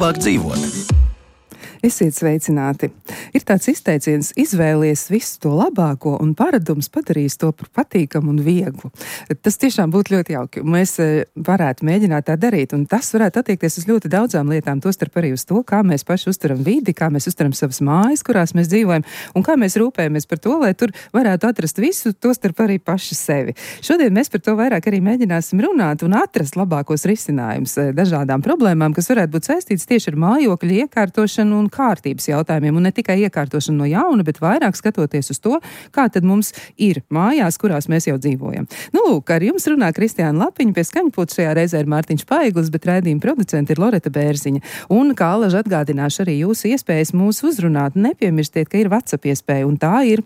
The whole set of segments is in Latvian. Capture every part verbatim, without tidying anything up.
labāk dzīvot. Esiet sveicināti. Ir tāds izteiciens: izvēlies visu to labāko un paradums padarīs to par patīkamu un vieglu. Tas tiešām būtu ļoti jauki. Mēs varētu mēģināt tā darīt, un tas varētu attiekties uz ļoti daudzām lietām, tostarp arī uz to, kā mēs paši uzturam vidi, kā mēs uzturam savas mājas, kurās mēs dzīvojam, un kā mēs rūpējamies par to, lai tur varētu atrast visu, tostarp arī paši sevi. Šodien mēs par to vairāk arī mēģināsim runāt un atrast labākos risinājumus dažādām problēmām, kas varētu būt saistītas tieši ar mājokļu iekārtošanu un kārtības jautājumiem, un ne tikai iekārtošanu no jauna, bet vairāk skatoties uz to, kā tad mums ir mājās, kurās mēs jau dzīvojam. Nu, lūk, ar jums runā Kristiāna Lapiņa, pie skaņpulta šajā reizē ir Mārtiņš Paiglis, bet raidījuma producente ir Loreta Bērziņa. Un, kā alaži atgādināšu arī jūsu iespējas mūs uzrunāt, nepiemirstiet, ka ir WhatsApp iespēja, un tā ir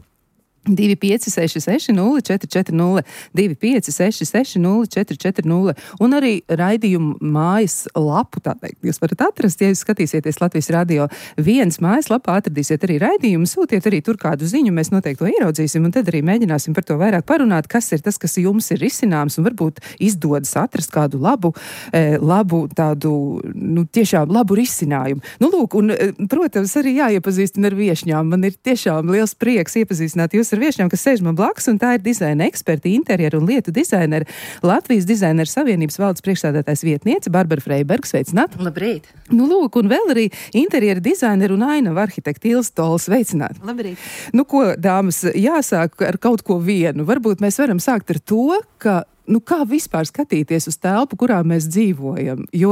divi pieci seši seši nulle četri četri nulle, divi pieci seši seši nulle četri četri nulle, un arī raidījumu mājas lapu, tā teikt, jūs varat atrast, ja jūs skatīsieties Latvijas radio viens mājas lapā, atradīsiet arī raidījumu, sūtiet arī tur kādu ziņu, mēs noteikti to ieraudzīsim, un tad arī mēģināsim par to vairāk parunāt, kas ir tas, kas jums ir risināms, un varbūt izdodas atrast kādu labu, eh, labu tādu, nu, tiešām labu risinājumu. Nu, lūk, un, protams, arī jāiepazīstina ar viešņām. Man ir tiešām liels prieks iepazīstināt jūs ar viešņām, kas sēž man blakus, un tā ir dizaina eksperti, interjeru un lietu dizaineri, Latvijas dizaineru savienības valdes priekšsēdētājs vietniece Barbara Freiberga. Sveicināti! Labrīt! Nu, lūk, un vēl arī interjeru dizaineru un ainava arhitekta Ilze Tola. Sveicināti! Labrīt! Nu, ko, dāmas, jāsāk ar kaut ko vienu. Varbūt mēs varam sākt ar to, ka nu, kā vispār skatīties uz telpu, kurā mēs dzīvojam, jo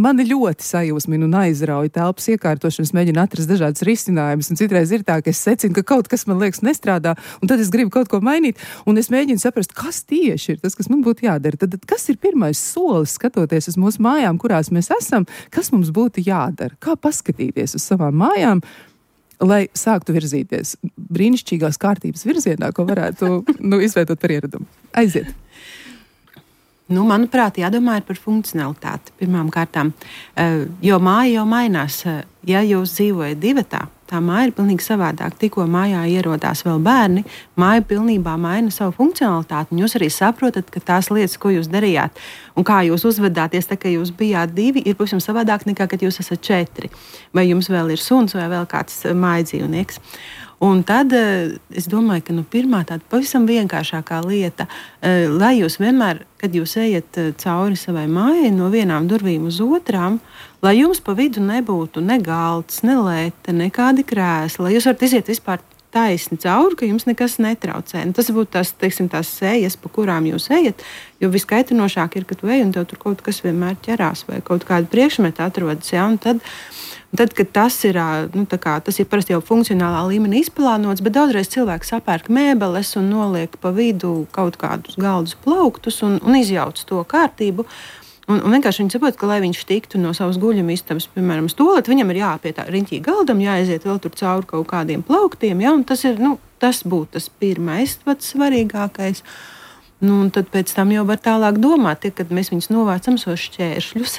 mani ļoti sajūsmina un aizrauja telpas iekārtošanas, mēģina atrast dažādas risinājumus, un citreiz ir tā, ka es secinu, ka kaut kas man liekas nestrādā, un tad es gribu kaut ko mainīt, un es mēģinu saprast, kas tieši ir tas, kas man būtu jādara. Tad, tad kas ir pirmais solis, skatoties uz mūsu mājām, kurās mēs esam, kas mums būtu jādara? Kā paskatīties uz savām mājām, lai sāktu virzīties brīnišķīgās kārtības virzienā, ko varētu nu, izveidot par ieradumu? Aiziet! Nu, manuprāt, jādomā ir par funkcionalitāti pirmām kārtām, jo māja jau mainās. Ja jūs dzīvojat divatā, tā māja ir pilnīgi savādāk. Tikko mājā ierodās vēl bērni, māja pilnībā maina savu funkcionalitāti, un jūs arī saprotat, ka tās lietas, ko jūs darījāt un kā jūs uzvedāties, tā kā jūs bijāt divi, ir pavisam savādāk nekā, kad jūs esat četri. Vai jums vēl ir suns vai vēl kāds mājdzīvnieks. Un tad es domāju, ka nu, pirmā tāda pavisam vienkāršākā lieta, lai jūs vienmēr, kad jūs ejat cauri savai mājai no vienām durvīm uz otrām, lai jums pa vidu nebūtu ne galds, ne lēte, nekādi krēsli, lai jūs varat iziet vispār taisni cauri, ka jums nekas netraucē. Un tas būtu tās, teiksim, tās sējas, pa kurām jūs ejat, jo viskaitinošāk ir, ka tu ej un tev tur kaut kas vienmēr ķerās vai kaut kāda priekšmeta atrodas, ja, un tad Tad, kad tas ir, nu, kā, tas ir parasti jau funkcionālā līmenī izplānots, bet daudzreiz cilvēks sapērk mēbeles un noliek pa vidu kaut kādus galdus plauktus un, un izjauc to kārtību. Un, un vienkārši viņi saprot, ka, lai viņš tiktu no savas guļama istabas, piemēram, stolēt, viņam ir jāpie tā riņķī galdam, jāaiziet vēl tur cauri kaut kādiem plauktiem, ja, un tas ir, nu, tas būtu tas pirmais, pats svarīgākais. Nu, un tad pēc tam jau var tālāk domāt, ja, kad mēs viņus novācam sos šķēršļus,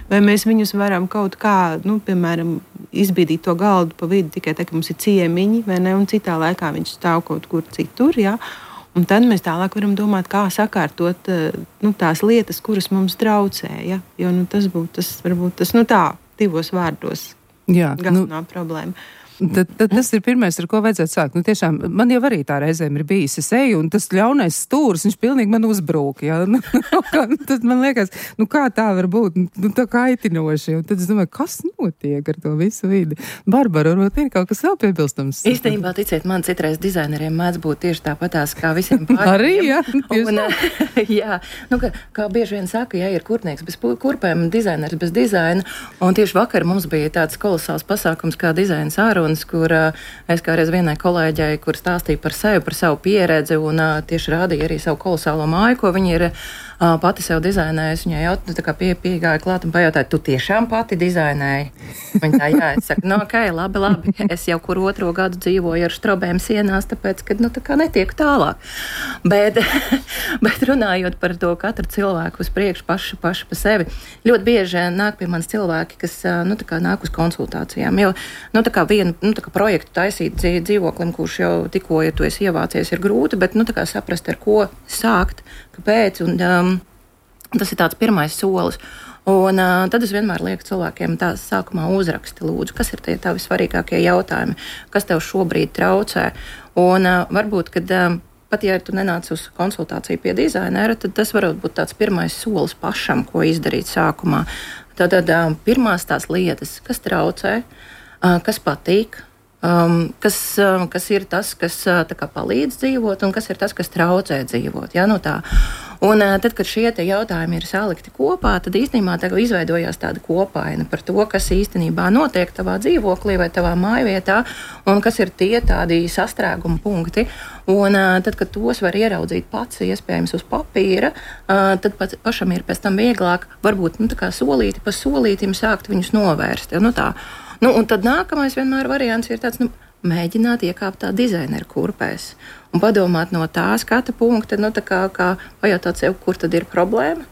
vai mēs viņus varam kaut kā, nu, piemēram, izbīdīt to galdu pa vidu tikai tā, ka mums ir ciemiņi, vai ne, un citā laikā viņš stāv kaut kur citur, jā. Un tad mēs tālāk varam domāt, kā sakārtot, nu, tās lietas, kuras mums traucē, ja, jo, nu, tas būtu tas, varbūt tas, nu, tā, divos vārdos, jā, galvenā nu... problēma. Tad, tad tas ir pirmais, ar ko vajadzētu sākt. Nu, tiešām, man jau arī tā reizēm ir bijis. Es eju, un tas ļaunais stūris, viņš pilnīgi man uzbrūk. Ja? Nu, tad man liekas, nu kā tā var būt? Nu, tā kaitinoši. Un tad es domāju, kas notiek ar to visu vidi? Barbara, varbūt ir kaut kas vēl piebilstams? Īstenībā, ticiet, man citreiz dizaineriem mēdz būt tieši tāpatās kā visiem pārējiem. Arī, jā. Un, jā, nu, kā, kā bieži vien saka, ja ir kurpnieks bez kurpēm, dizainers bez dizaina. Un tieši vakar mums bija tāds kolosāls pasākums kā dizaina sārunas, kur uh, es kādreiz vienai kolēģei, kur stāstīja par sevi, par savu pieredzi un uh, tieši rādīja arī savu kolosālo māju, ko viņi ir uh, pati sev dizainējusi. Viņai jau tā kā pie, piegāja klāt un pajautāja, tu tiešām pati dizainēji? Viņa tā, jā, es saku, no ok, labi, labi, es jau kur otro gadu dzīvoju ar štrobēm sienās, tāpēc, ka, nu, tā kā netieku tālāk. Bet, bet runājot par to katru cilvēku uz priekšu pašu, pašu pa sevi, ļoti bieži nāk pie manis cilvēki, kas, nu, tā kā nāk uz konsultācijām, jo, nu, tā kā vienu, nu, tā kā projektu taisīt dzīvoklim, kurš jau tikko, ja tu esi ievācies, ir grūti, bet, nu, tā kā saprast, ar ko sākt, kāpēc, un um, tas ir tāds pirmais solis. Un uh, tad es vienmēr lieku cilvēkiem tās sākumā uzraksti, lūdzu, kas ir tie tavi svarīgākie jautājumi, kas tev šobrīd traucē. Un uh, varbūt, kad uh, pat ja tu nenāc uz konsultāciju pie dizainera, tad tas varētu būt tāds pirmais solis pašam, ko izdarīt sākumā. Tātad uh, pirmās tās lietas, kas traucē, uh, kas patīk, Um, kas, um, kas ir tas, kas uh, kā, palīdz dzīvot, un kas ir tas, kas traucē dzīvot. Ja? Nu tā. Un, uh, tad, kad šie jautājumi ir salikti kopā, tad īstenībā tā izveidojās tāda kopaina par to, kas īstenībā notiek tavā dzīvoklī vai tavā mājvietā, un kas ir tie tādi sastrēguma punkti. Un, uh, tad, kad tos var ieraudzīt pats, iespējams, uz papīra, uh, tad pat pašam ir pēc tam vieglāk, varbūt nu, solīti pa solītim sākt viņus novērst. Ja? Nu, tā. Nu, un tad nākamais vienmēr variants ir tāds, nu, mēģināt iekāpt tā dizaineru kurpēs un padomāt no tā skata punkta, nu, tā kā, kā pajautāt sev, kur tad ir problēma,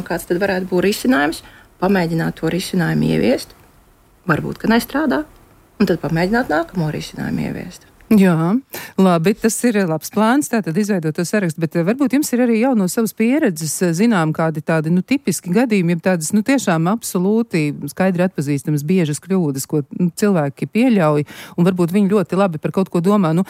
kāds tad varētu būt risinājums, pamēģināt to risinājumu ieviest, varbūt, ka nestrādā, un tad pamēģināt nākamo risinājumu ieviest. Jā, labi, tas ir labs plāns, tātad izveidot to sarakstu, bet varbūt jums ir arī jau no savas pieredzes zinām kādi tādi, nu, tipiski gadījumi, ja tādas, nu, tiešām absolūti skaidri atpazīstamas biežas kļūdas, ko nu, cilvēki pieļauj, un varbūt viņi ļoti labi par kaut ko domā. Nu,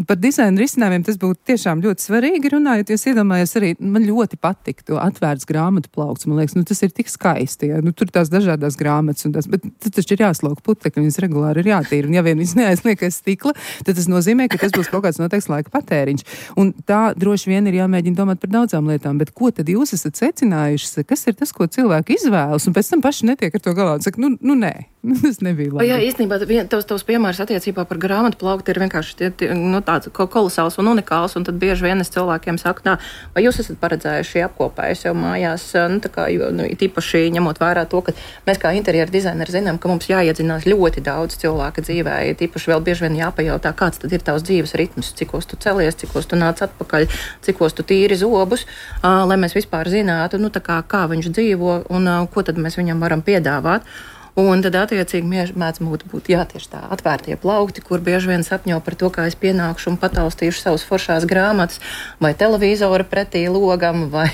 par dizaina risinājumiem tas būtu tiešām ļoti svarīgi runājot, jo es iedomājos arī, man ļoti patiktu atvērts grāmatu plaukts, man liekas, nu, tas ir tik skaisti, ja, nu, tur tās dažādās grāmatas, un tas, bet tas taču ir jāslauka putekļi, viņas regulāri ir jātīra, un ja vien viņas neaizliek aiz stikla, tad tas nozīmē, ka tas būs kaut kāds noteikts laika patēriņš. Un tā droši vien ir jāmēģina domāt par daudzām lietām, bet ko tad jūs esat secinājuši, kas ir tas, ko cilvēki izvēlas, un pēc tam paši netiek ar to galā un saka, nu, nu nē, tas nebija labi. O, jā, īstenībā tavs, tavs piemērs attiecībā par grāmatu plaukti ir vienkārši tie, tie, nu, tāds kolosāls un unikāls, un tad bieži vien es cilvēkiem saku, nā, vai jūs esat paredzējuši apkopēju sev mājās, nu, tā kā, jo, nu, tīpaši ņemot vērā to, ka mēs kā interjeru dizaineri zinām, ka mums jāiedzinās ļoti daudz cilvēka dzīvē, tīpaši vēl bieži vien jāpajautā, kāds tad ir tavs dzīves ritms, cikos tu celies, cikos tu nāc atpakaļ, cikos tu tīri zobus, uh, lai mēs vispār zinātu, nu, tā kā, kā viņš dzīvo un uh, ko tad mēs viņam varam piedāvāt. Un tad, attiecīgi, mēdz būt jā, tieši tā atvērtie plaukti, kur bieži vien sapņo par to, kā es pienākšu un pataustīšu savus foršās grāmatas, vai televizora pretī logam, vai,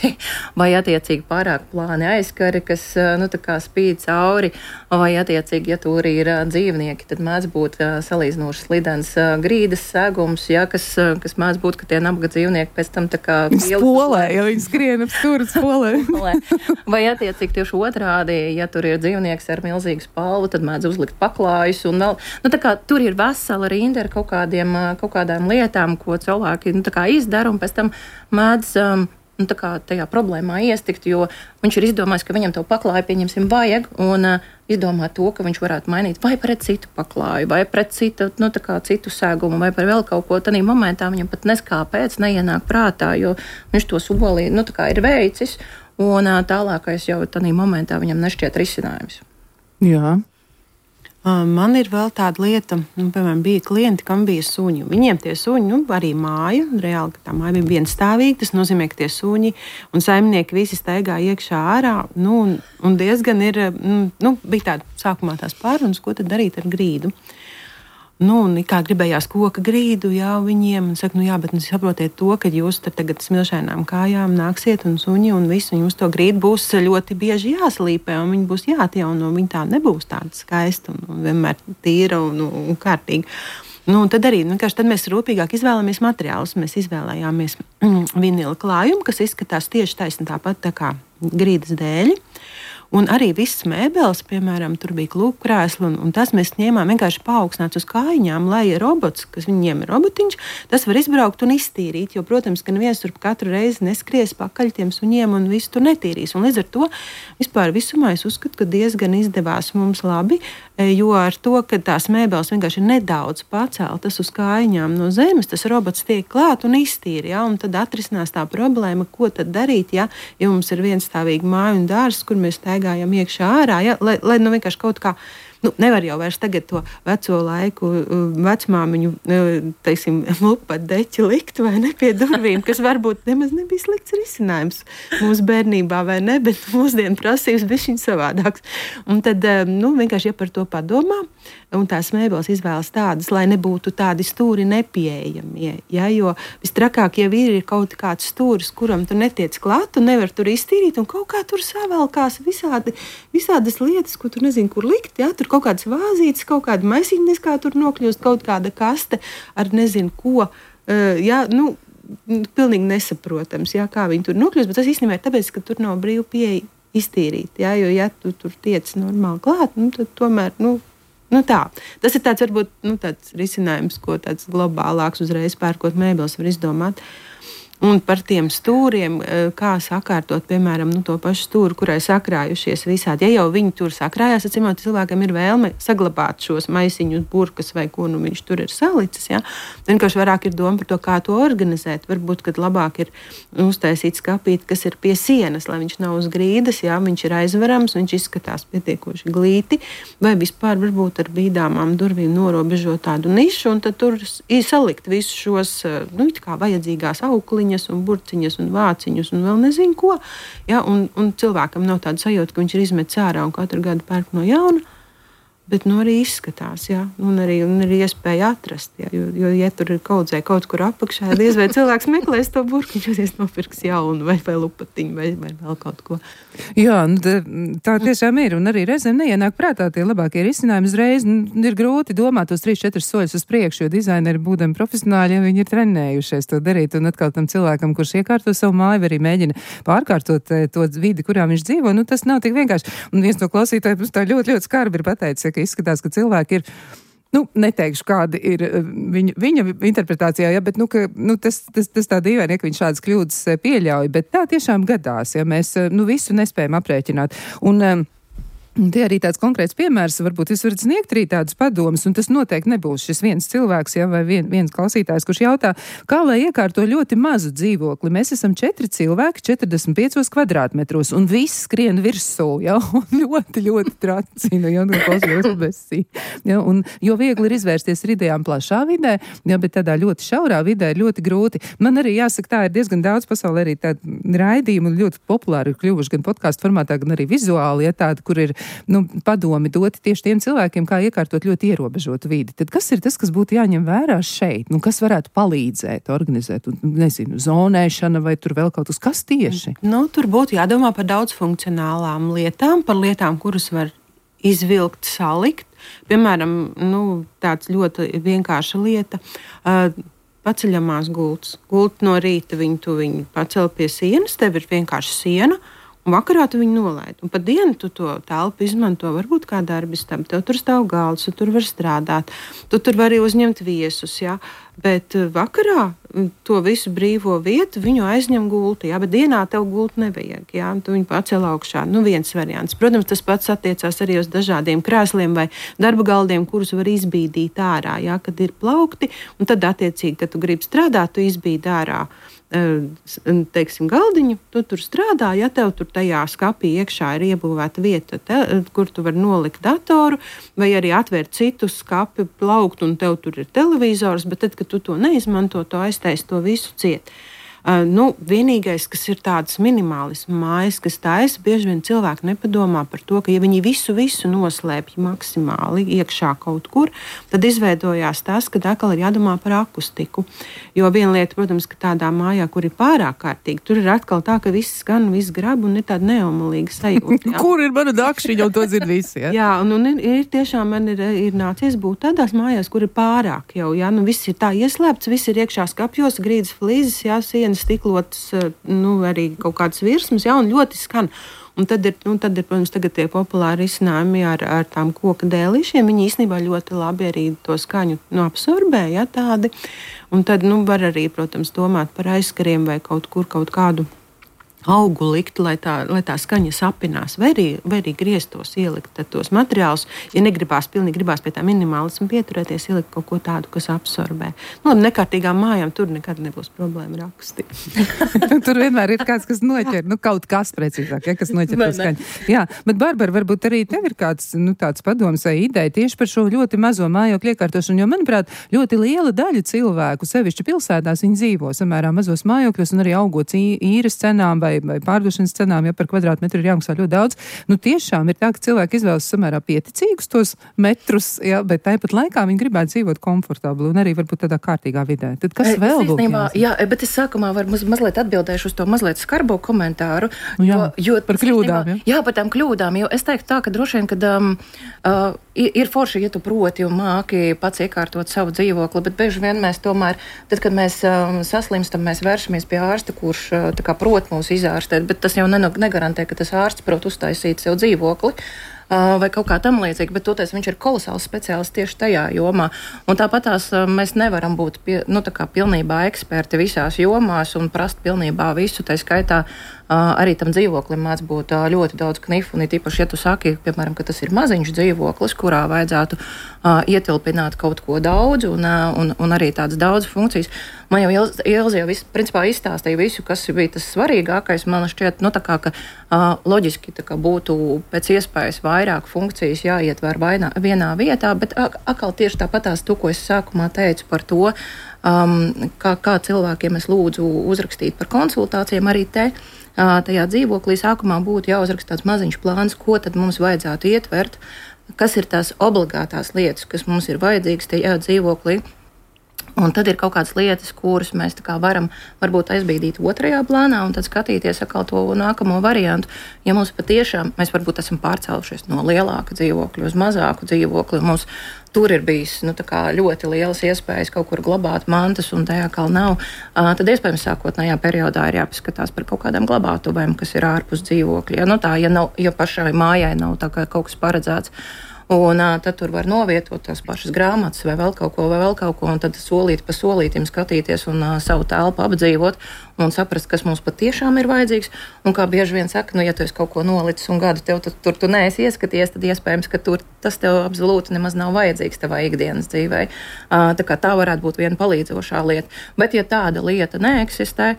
vai attiecīgi pārāk plāni aizskari, kas nu, tā kā spīd cauri, vai attiecīgi, ja tur ir dzīvnieki, tad mēdz būt salīdzinoši slidens grīdas segums, ja, kas, kas mēdz būt, ka tie nabaga dzīvnieki pēc tam tā kā spolē, ja viņi skrien ap stūri spolē. Vai attiecīgi tieši otrādi, ja tur ir dzīvnieks ar milzīgu spalvu, tad mēdz uzlikt paklājus un vēl, nu tā kā tur ir vesela rinda ar kaut kādiem, kaut kādām lietām, ko cilvēki, nu tā kā izdara un pēc tam mēdz, um, nu tā kā tajā problēmā iestikt, jo viņš ir izdomājis, ka viņam to paklāju, pieņemsim, vajag un uh, izdomā to, ka viņš varētu mainīt vai pret citu paklāju, vai pret citu, nu tā kā citu sēgumu, vai par vēl kaut ko. Tanī momentā viņam pat neskāpēc neienāk prātā, jo viņš to solī, nu tā kā ir veicis un uh, tālākais jau tanī momentā viņam nešķiet risinājums. Jā. Man ir vēl tāda lieta, nu, piemēram, bija klienti, kam bija suņi. Viņiem tie suņi, nu, arī māja, reāli, ka tā māja bija vienstāvīga, tas nozīmē, ka tie suņi un saimnieki visi staigā iekšā ārā, nu, un, un diezgan ir, nu, bija tāda sākumā tās pārunas, ko tad darīt ar grīdu. Nu, un kā gribējās koka grīdu, jā, viņiem, un saka, nu jā, bet nu, saprotiet to, ka jūs tagad smilšainām kājām nāksiet un suņi un visu, un jums to grīdu būs ļoti bieži jāslīpē, un viņi būs jāatjauno, un viņi tā nebūs tāda skaista un, un vienmēr tīra un, un, un kārtīga. Nu, tad arī nu, tad mēs rūpīgāk izvēlamies materiālus. Mēs izvēlējāmies mm, vinila klājumu, kas izskatās tieši taisni tāpat tā kā grīdas dēļi. Un arī viss mēbeles, piemēram, tur bija klūpkrēsli, un, un tas mēs ņēmām vienkārši paaugstināts uz kājiņām, lai robots, kas viņiem ir robotiņš, tas var izbraukt un iztīrīt, jo, protams, ka neviens tur katru reizi neskries pakaļ tiem suņiem un visu tur netīrīs. Un līdz ar to vispār visumā es uzskatu, ka diezgan izdevās mums labi, jo ar to, ka tās mēbeles vienkārši ir nedaudz paceltas uz kājiņām no zemes, tas robots tiek klāt un iztīra, ja, un tad atrisinās tā problēma, ko tad darīt, ja, ja mums ir vienstāvīga māja un dārzs, kur mēs staigājam iekšā ārā, ja, lai, lai nu vienkārši kaut kā nu, nevar jau vairs tagad to veco laiku vecmāmiņu, teiksim, lupat deķi likt vai ne pie durvīm, kas varbūt nemaz nebija slikts risinājums mūsu bērnībā vai ne, bet mūsdienu prasības bišķiņ savādāks. Un tad, nu, vienkārši, ja par to padomā, un tās mēbeles izvēlas tādas, lai nebūtu tādi stūri nepieejamie, ja, jo vistrakāk jau ir, ir kaut kāds stūris, kuram tu netiec klāt, tu nevar tur iztīrīt, un kaut kā tur savalkās visādi, visādas lietas, ko tu nezini, kur likt, ja, tur kaut kādas vāzītes, kaut kāda maisīnes, kā tur nokļūst, kaut kāda kaste ar nezinu ko, uh, ja, nu, pilnīgi nesaprotams, ja, kā viņi tur nokļūst, bet tas īstenībā ir tāpēc, ka tur nav brīvu pieeja iztīrīt, ja, jo, ja tu tur tiec normāli klāt, nu, tad tomēr, nu, Nu tā. Tas ir tāds, varbūt, nu, tāds risinājums, ko tāds globālāks uzreiz pērkot mēbeles var izdomāt. Un par tiem stūriem, kā sakārtot, piemēram, nu, to pašu stūri, kurai sakrājušies visādi. Ja jau viņi tur sakrājās, atcīmot, cilvēkam ir vēlme saglabāt šos maisiņus, burkas vai ko nu viņš tur ir salicis. Ja? Vienkārši vairāk ir doma par to, kā to organizēt. Varbūt, kad labāk ir uztaisīt skapīti, kas ir pie sienas, lai viņš nav uz grīdas, ja? Viņš ir aizverams, viņš izskatās pietiekoši glīti, vai vispār varbūt ar bīdāmām durvīm norobežot tādu nišu, un tad tur salikt visus šos, nu, it kā vajadzīgās aukliņas, un burciņas, un vāciņus, un vēl nezinu ko. Ja, un, un cilvēkam nav tāda sajūta, ka viņš ir izmetis ārā un katru gadu pērk no jauna, bet nu arī izskatās, ja, un arī, un arī iespēja atrast, ja, jo, jo, ja tur ir kaudzē kaut kur apakšā, diez vai cilvēks meklēs to burku, viņš aizies nopirks jaunu, vai, vai lupatiņu, vai, vai vēl kaut ko. Jā, nu, tā, tā tiešām ir, un arī reizēm neienāk prātā tie labākie risinājumi uzreiz, nu, ir grūti domāt tos trīs, četrus soļus uz priekšu, jo dizaineri būdami profesionāļi, ja viņi ir trenējušies to darīt, un atkal tam cilvēkam, kurš iekārto savu māju, vai arī mēģina pārkārtot to vidi, kurā viņš dzīvo, nu tas nav tik vienkārši. Un viens no klausītājiem tā ļoti, ļoti skarbi ir pateicis, ka izskatās, ka cilvēki ir, nu, neteikšu, kāda ir viņa, viņa interpretācijā, ja, bet, nu, ka, nu, tas, tas, tas tā dīvaini, ka viņš šādas kļūdas pieļauj, bet tā tiešām gadās, ja mēs, nu, visu nespējam aprēķināt. Un, um, Tie arī tāds konkrēts piemērs, varbūt jūs varat sniegt arī tādus padomus, un tas noteikti nebūs šis viens cilvēks, ja, vai vien, viens klausītājs, kurš jautā, kā lai iekārto ļoti mazu dzīvokli. Mēs esam četri cilvēki, četrdesmit piecos kvadrātmetros, un viss skrien virsū, ja, un ļoti, ļoti tracina, ja, un klausījos besī. Ja, un jo viegli ir izvērsties ar idejām plašā vidē, ja, bet tādā ļoti šaurā vidē ir ļoti grūti. Man arī jāsaka, tā ir diezgan daudz pasaulē arī tādi raidījumi, ļoti populāri ir kļuvuši gan podkāstu formātā, gan arī vizuāli, ja, tādi, kur ir nu, padomi doti tieši tiem cilvēkiem, kā iekārtot ļoti ierobežotu vidi. Tad kas ir tas, kas būtu jāņem vērā šeit? Nu, kas varētu palīdzēt, organizēt, nezinu, zonēšana vai tur vēl kaut kas? Kas tieši? Nu, tur būtu jādomā par daudz funkcionālām lietām, par lietām, kuras var izvilkt, salikt. Piemēram, nu, tāds ļoti vienkārša lieta. Uh, paceļamās gultas. Gulta no rīta viņu, tu viņu pacel pie sienas, tev ir vienkārši siena, un vakarā tu viņu nolaid. Un pa dienu tu to telpu izmanto varbūt kā darbistam. Tev tur stāv galds, tu tur var strādāt. Tu tur vari uzņemt viesus, jā. Bet vakarā to visu brīvo vietu viņu aizņem gulta, jā. Bet dienā tev gultu nevajag, jā. Tu viņu pacel augšā. Nu, viens variants. Protams, tas pats attiecās arī uz dažādiem krēsliem vai darba galdiem, kurus var izbīdīt ārā, jā, kad ir plaukti. Un tad attiecīgi, kad tu gribi strādāt, tu izbīdi ārā. Teiksim, galdiņu, tu tur strādā, ja tev tur tajā skapī iekšā ir iebūvēta vieta, te, kur tu vari nolikt datoru, vai arī atvērt citu skapi, plaukt, un tev tur ir televizors, bet tad, kad tu to neizmanto, to aiztais to visu ciet. Uh, nu, vienīgais, kas ir tāds minimālisms mājas, kas taisa, bieži vien cilvēki nepadomā par to, ka ja viņi visu, visu noslēpj maksimāli iekšā kaut kur, tad izveidojās tas, ka atkal ir jādomā par akustiku. Jo viena lieta, protams, ka tādā mājā, kur ir pārāk kārtīgi, tur ir atkal tā, ka viss skan, viss grab un ir tāda neomalīga sajūta. Kur ir mana dakšiņa, un to dzird visi, ja? Jā, un, un ir, ir tiešām man ir, ir nācies būt tādās mājās, kur ir pārāk jau, jā, nu viss ir tā ieslēpts, viss ir iekšā skapjos, grīdas flīzes, jā, sienas stiklotas, nu, arī kaut kādas virsmas, jā, un ļoti skan. Un tad ir, nu, tad ir, protams, tagad tie populāri risinājumi ar, ar tām koka dēlīšiem. Viņi īstenībā ļoti labi arī to skaņu nu, absorbē, jā, tādi. Un tad, nu, var arī, protams, domāt par aizskariem vai kaut kur kaut kādu augu likt, lai tā, lai tā skaņa sapinās, vai arī, vai arī grieztos ielikt tos materiālus. Ja negribās, pilnīgi gribās pie tā minimālismu pieturēties, ielikt kaut ko tādu, kas absorbē. Nu, labi, nekārtīgām mājām tur nekad nebūs problēma rakstīt. Tur vienmēr ir kāds, kas noķer, nu kaut kas precīzāk, ja, kas noķer to skaņu. Jā, bet Barbara, varbūt arī tev ir kāds, nu, tāds padoms vai ideja tieši par šo ļoti mazo mājokļu iekārtošanu, jo, manuprāt, ļoti liela daļa cilvēku, sevišķi pilsētās, viņi dzīvo samērā mazos mājokļos un arī augot īres cenām vai vai pārdošanas cenām, ja par kvadrātmetru ir jāmaksā ļoti daudz. Nu, tiešām ir tā, ka cilvēki izvēlas samērā pieticīgus tos metrus, ja, bet tāpat laikā viņi gribētu dzīvot komfortabli un arī varbūt tādā kārtīgā vidē. Tad kas vēl būtu jāsaka? Jā, bet es sākumā varbūt mazliet atbildēšu uz to mazliet skarbo komentāru. Nu, jā, jo, jo, par kļūdām, ja? Jā, par tām kļūdām, jo es teiktu tā, ka droši vien, kad um, uh, ir forši, ja tu proti un māki pats iekārtot savu dzīvokli, bet bieži vien mēs tomēr, tad, kad mēs um, saslimstam, mēs vēršamies pie ārsta, kurš uh, tā kā prot mūs izārstēt, bet tas jau negarantē, ka tas ārsts prot uztaisīt sev dzīvokli uh, vai kaut kā tam līdzīgi, bet toties viņš ir kolosāls speciālists tieši tajā jomā. Un tāpatās uh, mēs nevaram būt pie, nu, tā kā pilnībā eksperti visās jomās un prast pilnībā visu, tā skaitā uh, arī tam dzīvoklim mēdz būt uh, ļoti daudz knifu, un īpaši, ja tu saki, piemēram, ka tas ir maziņš dzīvoklis, kurā vajadzētu uh, ietilpināt kaut ko daudz un, uh, un, un arī tādas daudz funkcijas. Man jau Ilze jau visu, principā izstāstīja visu, kas bija tas svarīgākais. Man šķiet, nu, tā kā, ka uh, loģiski tā kā būtu pēc iespējas vairāk funkcijas jāietver vainā, vienā vietā, bet atkal tieši tāpatās to, ko es sākumā teicu par to, um, kā, kā cilvēkiem es lūdzu uzrakstīt par konsultācijām, arī te uh, tajā dzīvoklī sākumā būtu jāuzraksta tāds maziņš plāns, ko tad mums vajadzētu ietvert, kas ir tās obligātās lietas, kas mums ir vajadzīgas tajā dzīvoklī. Un tad ir kaut kādas lietas, kuras mēs tā kā varam varbūt aizbīdīt otrajā plānā un tad skatīties atkal to nākamo variantu. Ja mums patiešām, mēs varbūt esam pārcēlušies no lielāka dzīvokļa uz mazāku dzīvokli, un mums tur ir bijis nu, tā kā ļoti lielas iespējas kaut kur glabāt mantas un tajā kā nav, uh, tad iespējams sākotnējā periodā ir jāpaskatās par kaut kādām glabātuvēm, kas ir ārpus dzīvokļa. Ja, nu tā, ja, nav, ja pašai mājai nav tā kā kaut kas paredzēts, un uh, tad tur var novietot tās pašas grāmatas vai vēl kaut ko, vai vēl kaut ko, un tad solīt pa solītim skatīties un uh, savu telpu apdzīvot un saprast, kas mums patiešām ir vajadzīgs. Un kā bieži vien saka, nu, ja tu esi kaut ko nolicis un gadu tev tu, tur tu neesi ieskaties, tad iespējams, ka tur tas tev absolūti nemaz nav vajadzīgs tavā ikdienas dzīvē. Uh, tā kā tā varētu būt viena palīdzošā lieta. Bet ja tāda lieta neeksistē,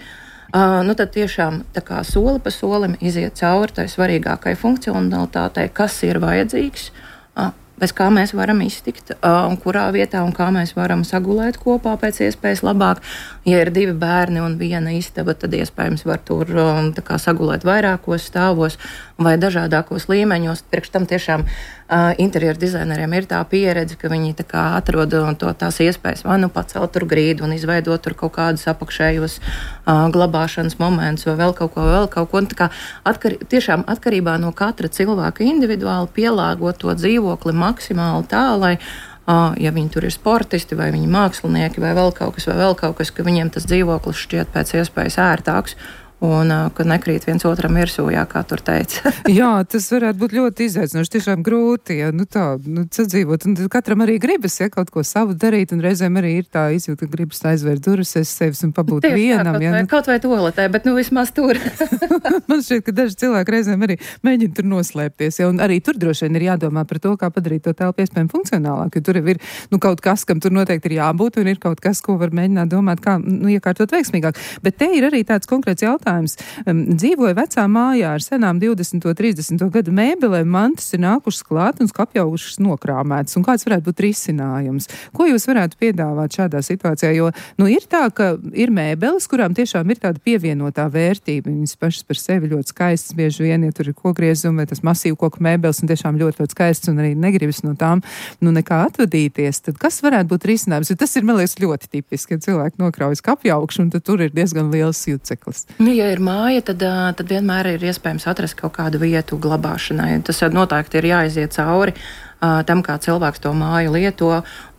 Uh, nu tad tiešām tā kā soli pa solim iziet cauri tai svarīgākai funkcionalitātei, kas ir vajadzīgs, uh, bez kā mēs varam iztikt, uh, un kurā vietā un kā mēs varam sagulēt kopā pēc iespējas labāk. Ja ir divi bērni un viena istaba, tad iespējams var tur um, tā kā sagulēt vairākos stāvos vai dažādākos līmeņos. Priekš tam tiešām uh, interjeru dizaineriem ir tā pieredze, ka viņi tā kā atrod to, tās iespējas vai nu pacelt tur grīdu un izveidot tur kaut kādus apakšējos uh, glabāšanas momentus vai vēl kaut ko, vēl kaut ko. Tā kā atkar, tiešām atkarībā no katra cilvēka individuāli pielāgot to dzīvokli maksimāli tā, lai Uh, ja viņi tur ir sportisti, vai viņi mākslinieki, vai vēl kaut kas, vai vēl kaut kas, ka viņiem tas dzīvoklis šķiet pēc iespējas ērtāks. Un uh, ka nekrīt viens otram virsū, jā, kā tur teica. Jā, tas varētu būt ļoti izaicinoši, tiešām grūti, ja, nu tā, nu, sadzīvot. Un katram arī gribas, ja, kaut ko savu darīt, un reizēm arī ir tā izjūta, ka gribas aizvērt durvis aiz sevis un pabūt Tieši vienam. Tā, kaut, ja, vai, nu... kaut vai toaletē, bet nu vismaz tur. Man šķiet, ka daži cilvēki reizēm arī mēģina tur noslēpties, ja, un arī tur droši vien ir jādomā par to, kā padarīt to telpu iespējami funkcionālāk, jo tur ir, nu, kaut kas, kam tur noteikti ir jābūt, un ir kaut kas, ko var mēģināt domāt, kā, nu, iekārtot veiksmīgāk. Bet te ir arī tāds konkrēts jautājums. Um, dzīvoja vecā mājā ar senām divdesmito, trīsdesmito gadu mēbelēm, mantas ir nākušas klāt un apjaukušas nokrāmētas. Un kāds varētu būt risinājums? Ko jūs varētu piedāvāt šādā situācijā? Jo, nu, ir tā, ka ir mēbeles, kurām tiešām ir tāda pievienotā vērtība. Viņas pašas par sevi ļoti skaistas, bieži vien, ja tur ir kokgriezumi vai tas masīvu koku mēbeles un tiešām ļoti, ļoti skaistas un arī negribas no tām, nu, nekā atvadīties. Tad kas varētu būt risinājums? Jo tas ir, man liekas, ļoti tipiski, ka cilvēki nokraujas apjaukšu un tad tur ir diezgan liels juceklis. Nu, ja ir māja, tad, tad vienmēr ir iespējams atrast kaut kādu vietu glabāšanai. Tas noteikti ir jāiziet cauri tam, kā cilvēks to māju lieto,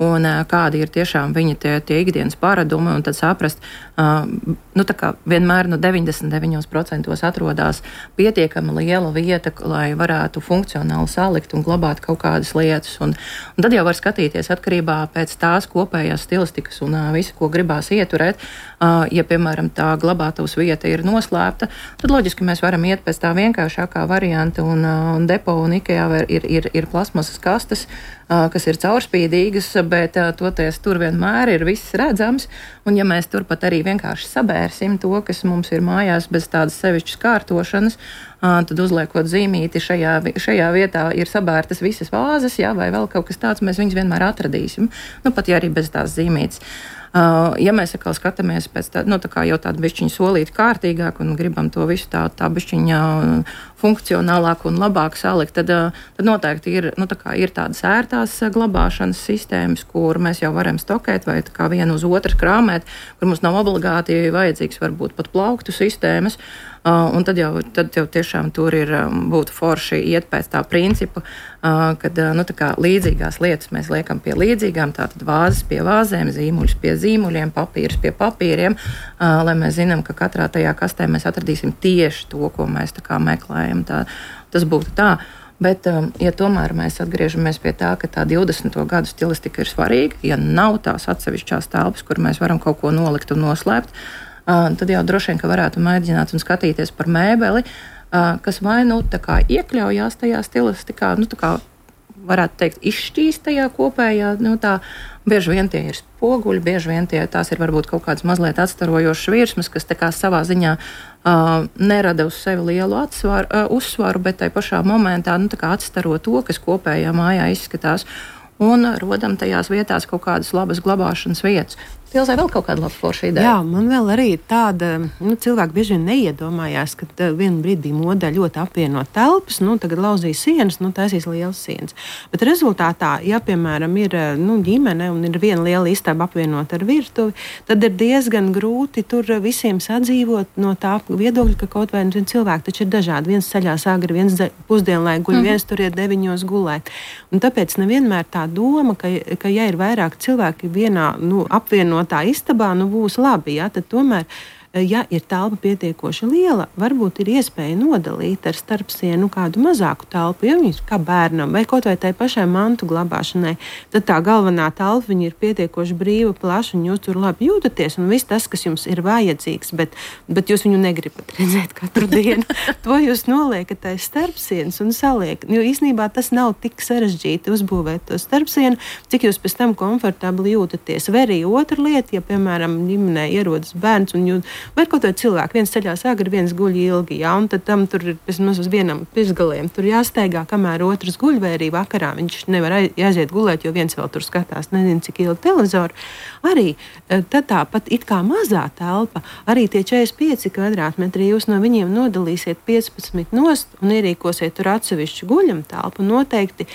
un uh, kādi ir tiešām viņa tie, tie ikdienas paradumi, un tad saprast, uh, nu tā kā vienmēr no deviņdesmit deviņos procentos atrodas pietiekami liela vieta, lai varētu funkcionāli salikt un glabāt kaut kādas lietas, un, un tad jau var skatīties atkarībā pēc tās kopējās stilistikas un uh, visu, ko gribās ieturēt. Uh, ja, piemēram, tā glabātavas vieta ir noslēpta, tad loģiski mēs varam iet pēc tā vienkāršākā varianta, un, uh, un depo un Ikea ir, ir, ir plasmasas kastes, uh, kas ir caurspīdīgas, bet uh, toties tur vienmēr ir viss redzams, un ja mēs turpat arī vienkārši sabērsim to, kas mums ir mājās bez tādas sevišķas kārtošanas, uh, tad uzliekot zīmīti šajā, šajā vietā ir sabērtas visas vāzes, jā, vai vēl kaut kas tāds, mēs viņus vienmēr atradīsim, nu pat ja arī bez tās zīmītes. Uh, ja mēs atkal skatāmies pēc tā, nu, tā kā jau tādu bišķiņu solīti kārtīgāk un gribam to visu tā, tā bišķiņa funkcionālāk un labāk salikt, tad, tad noteikti ir, nu, tā kā ir tādas ērtās glabāšanas sistēmas, kur mēs jau varam stokēt vai tā kā vienu uz otru krāmēt, kur mums nav obligāti vajadzīgs varbūt pat plauktu sistēmas. Uh, un tad jau, tad jau tiešām tur ir um, būtu forši iet pēc tā principa, uh, kad uh, nu, tā kā līdzīgās lietas mēs liekam pie līdzīgām, tātad vāzes pie vāzēm, zīmuļus pie zīmuļiem, papīrus pie papīriem, uh, lai mēs zinām, ka katrā tajā kastē mēs atradīsim tieši to, ko mēs tā kā meklējam. Tā, tas būtu tā. Bet, um, ja tomēr mēs atgriežamies pie tā, ka tā divdesmito gadu stilistika ir svarīga, ja nav tās atsevišķās telpas, kur mēs varam kaut ko nolikt un noslēpt, Uh, tad jau droši vien, ka varētu mēģināt un skatīties par mēbeli, uh, kas vai nu tā kā iekļaujās tajā stilistikā, nu tā kā varētu teikt izšķīst tajā kopējā, nu tā bieži vien tie ir spoguļi, bieži vien tie, tās ir varbūt kaut kādas mazliet atstarojošas virsmas, kas tā kā savā ziņā uh, nerada uz sevi lielu atsvaru, uh, uzsvaru, bet tai pašā momentā, nu tā kā atstaro to, kas kopējā mājā izskatās, un rodam tajās vietās kaut kādas labas glabāšanas vietas. Pilsē vēl kaut kāda laba forša ideja. Jā, man vēl arī tāda, nu, cilvēki bieži vien neiedomājās, ka uh, vienu brīdī modē ļoti apvienot telpas, nu, tagad lauzīs sienas, nu, taisīs lielas sienas. Bet rezultātā, ja, piemēram, ir, nu, ģimene un ir viena liela istaba apvienot ar virtuvi, tad ir diezgan grūti tur visiem sadzīvot no tā viedokļa, ka kaut vai cilvēki taču ir dažādi. Viens ceļās agri, viens pusdienlaik guļ, mm. viens tur ir deviņos gulēt. Un tāpēc nevienmēr tā doma, ka, ka ja ir vairāk cilvēki vienā, nu, apvienot tā istabā, nu būs labi, ja, tad tomēr, ja ir telpa pietiekoši liela, varbūt ir iespēja nodalīt ar starpsienu kādu mazāku telpu, ja viņas kā bērnam vai kaut vai tai pašai mantu glabāšanai, tad tā galvenā telpa viņa ir pietiekoši brīva, plaša un jūs tur labi jūtaties un viss tas, kas jums ir vajadzīgs, bet, bet jūs viņu negribat redzēt katru dienu. To jūs noliekat aiz starpsienas un saliekat. Jo īsnībā tas nav tik sarežģīti uzbūvēt to starpsienu, cik jūs pēc tam komfortabli jūtaties. Vai arī otra lieta, ja, piemēram, ģimenē ierodas bērns un jūt vai kaut vai cilvēki, viens ceļās agri, viens guļ ilgi, jā, un tad tam tur ir vismaz uz vienam pirksgaliem, tur jāsteigā, kamēr otrs guļ, vai arī vakarā viņš nevar aiziet gulēt, jo viens vēl tur skatās, nezinu, cik ilgi televizoru. Arī tad tāpat it kā mazā telpa, arī tie četrdesmit pieci kvadrātmetri, jūs no viņiem nodalīsiet piecpadsmit nost un ierīkosiet tur atsevišķu guļam telpu, noteikti.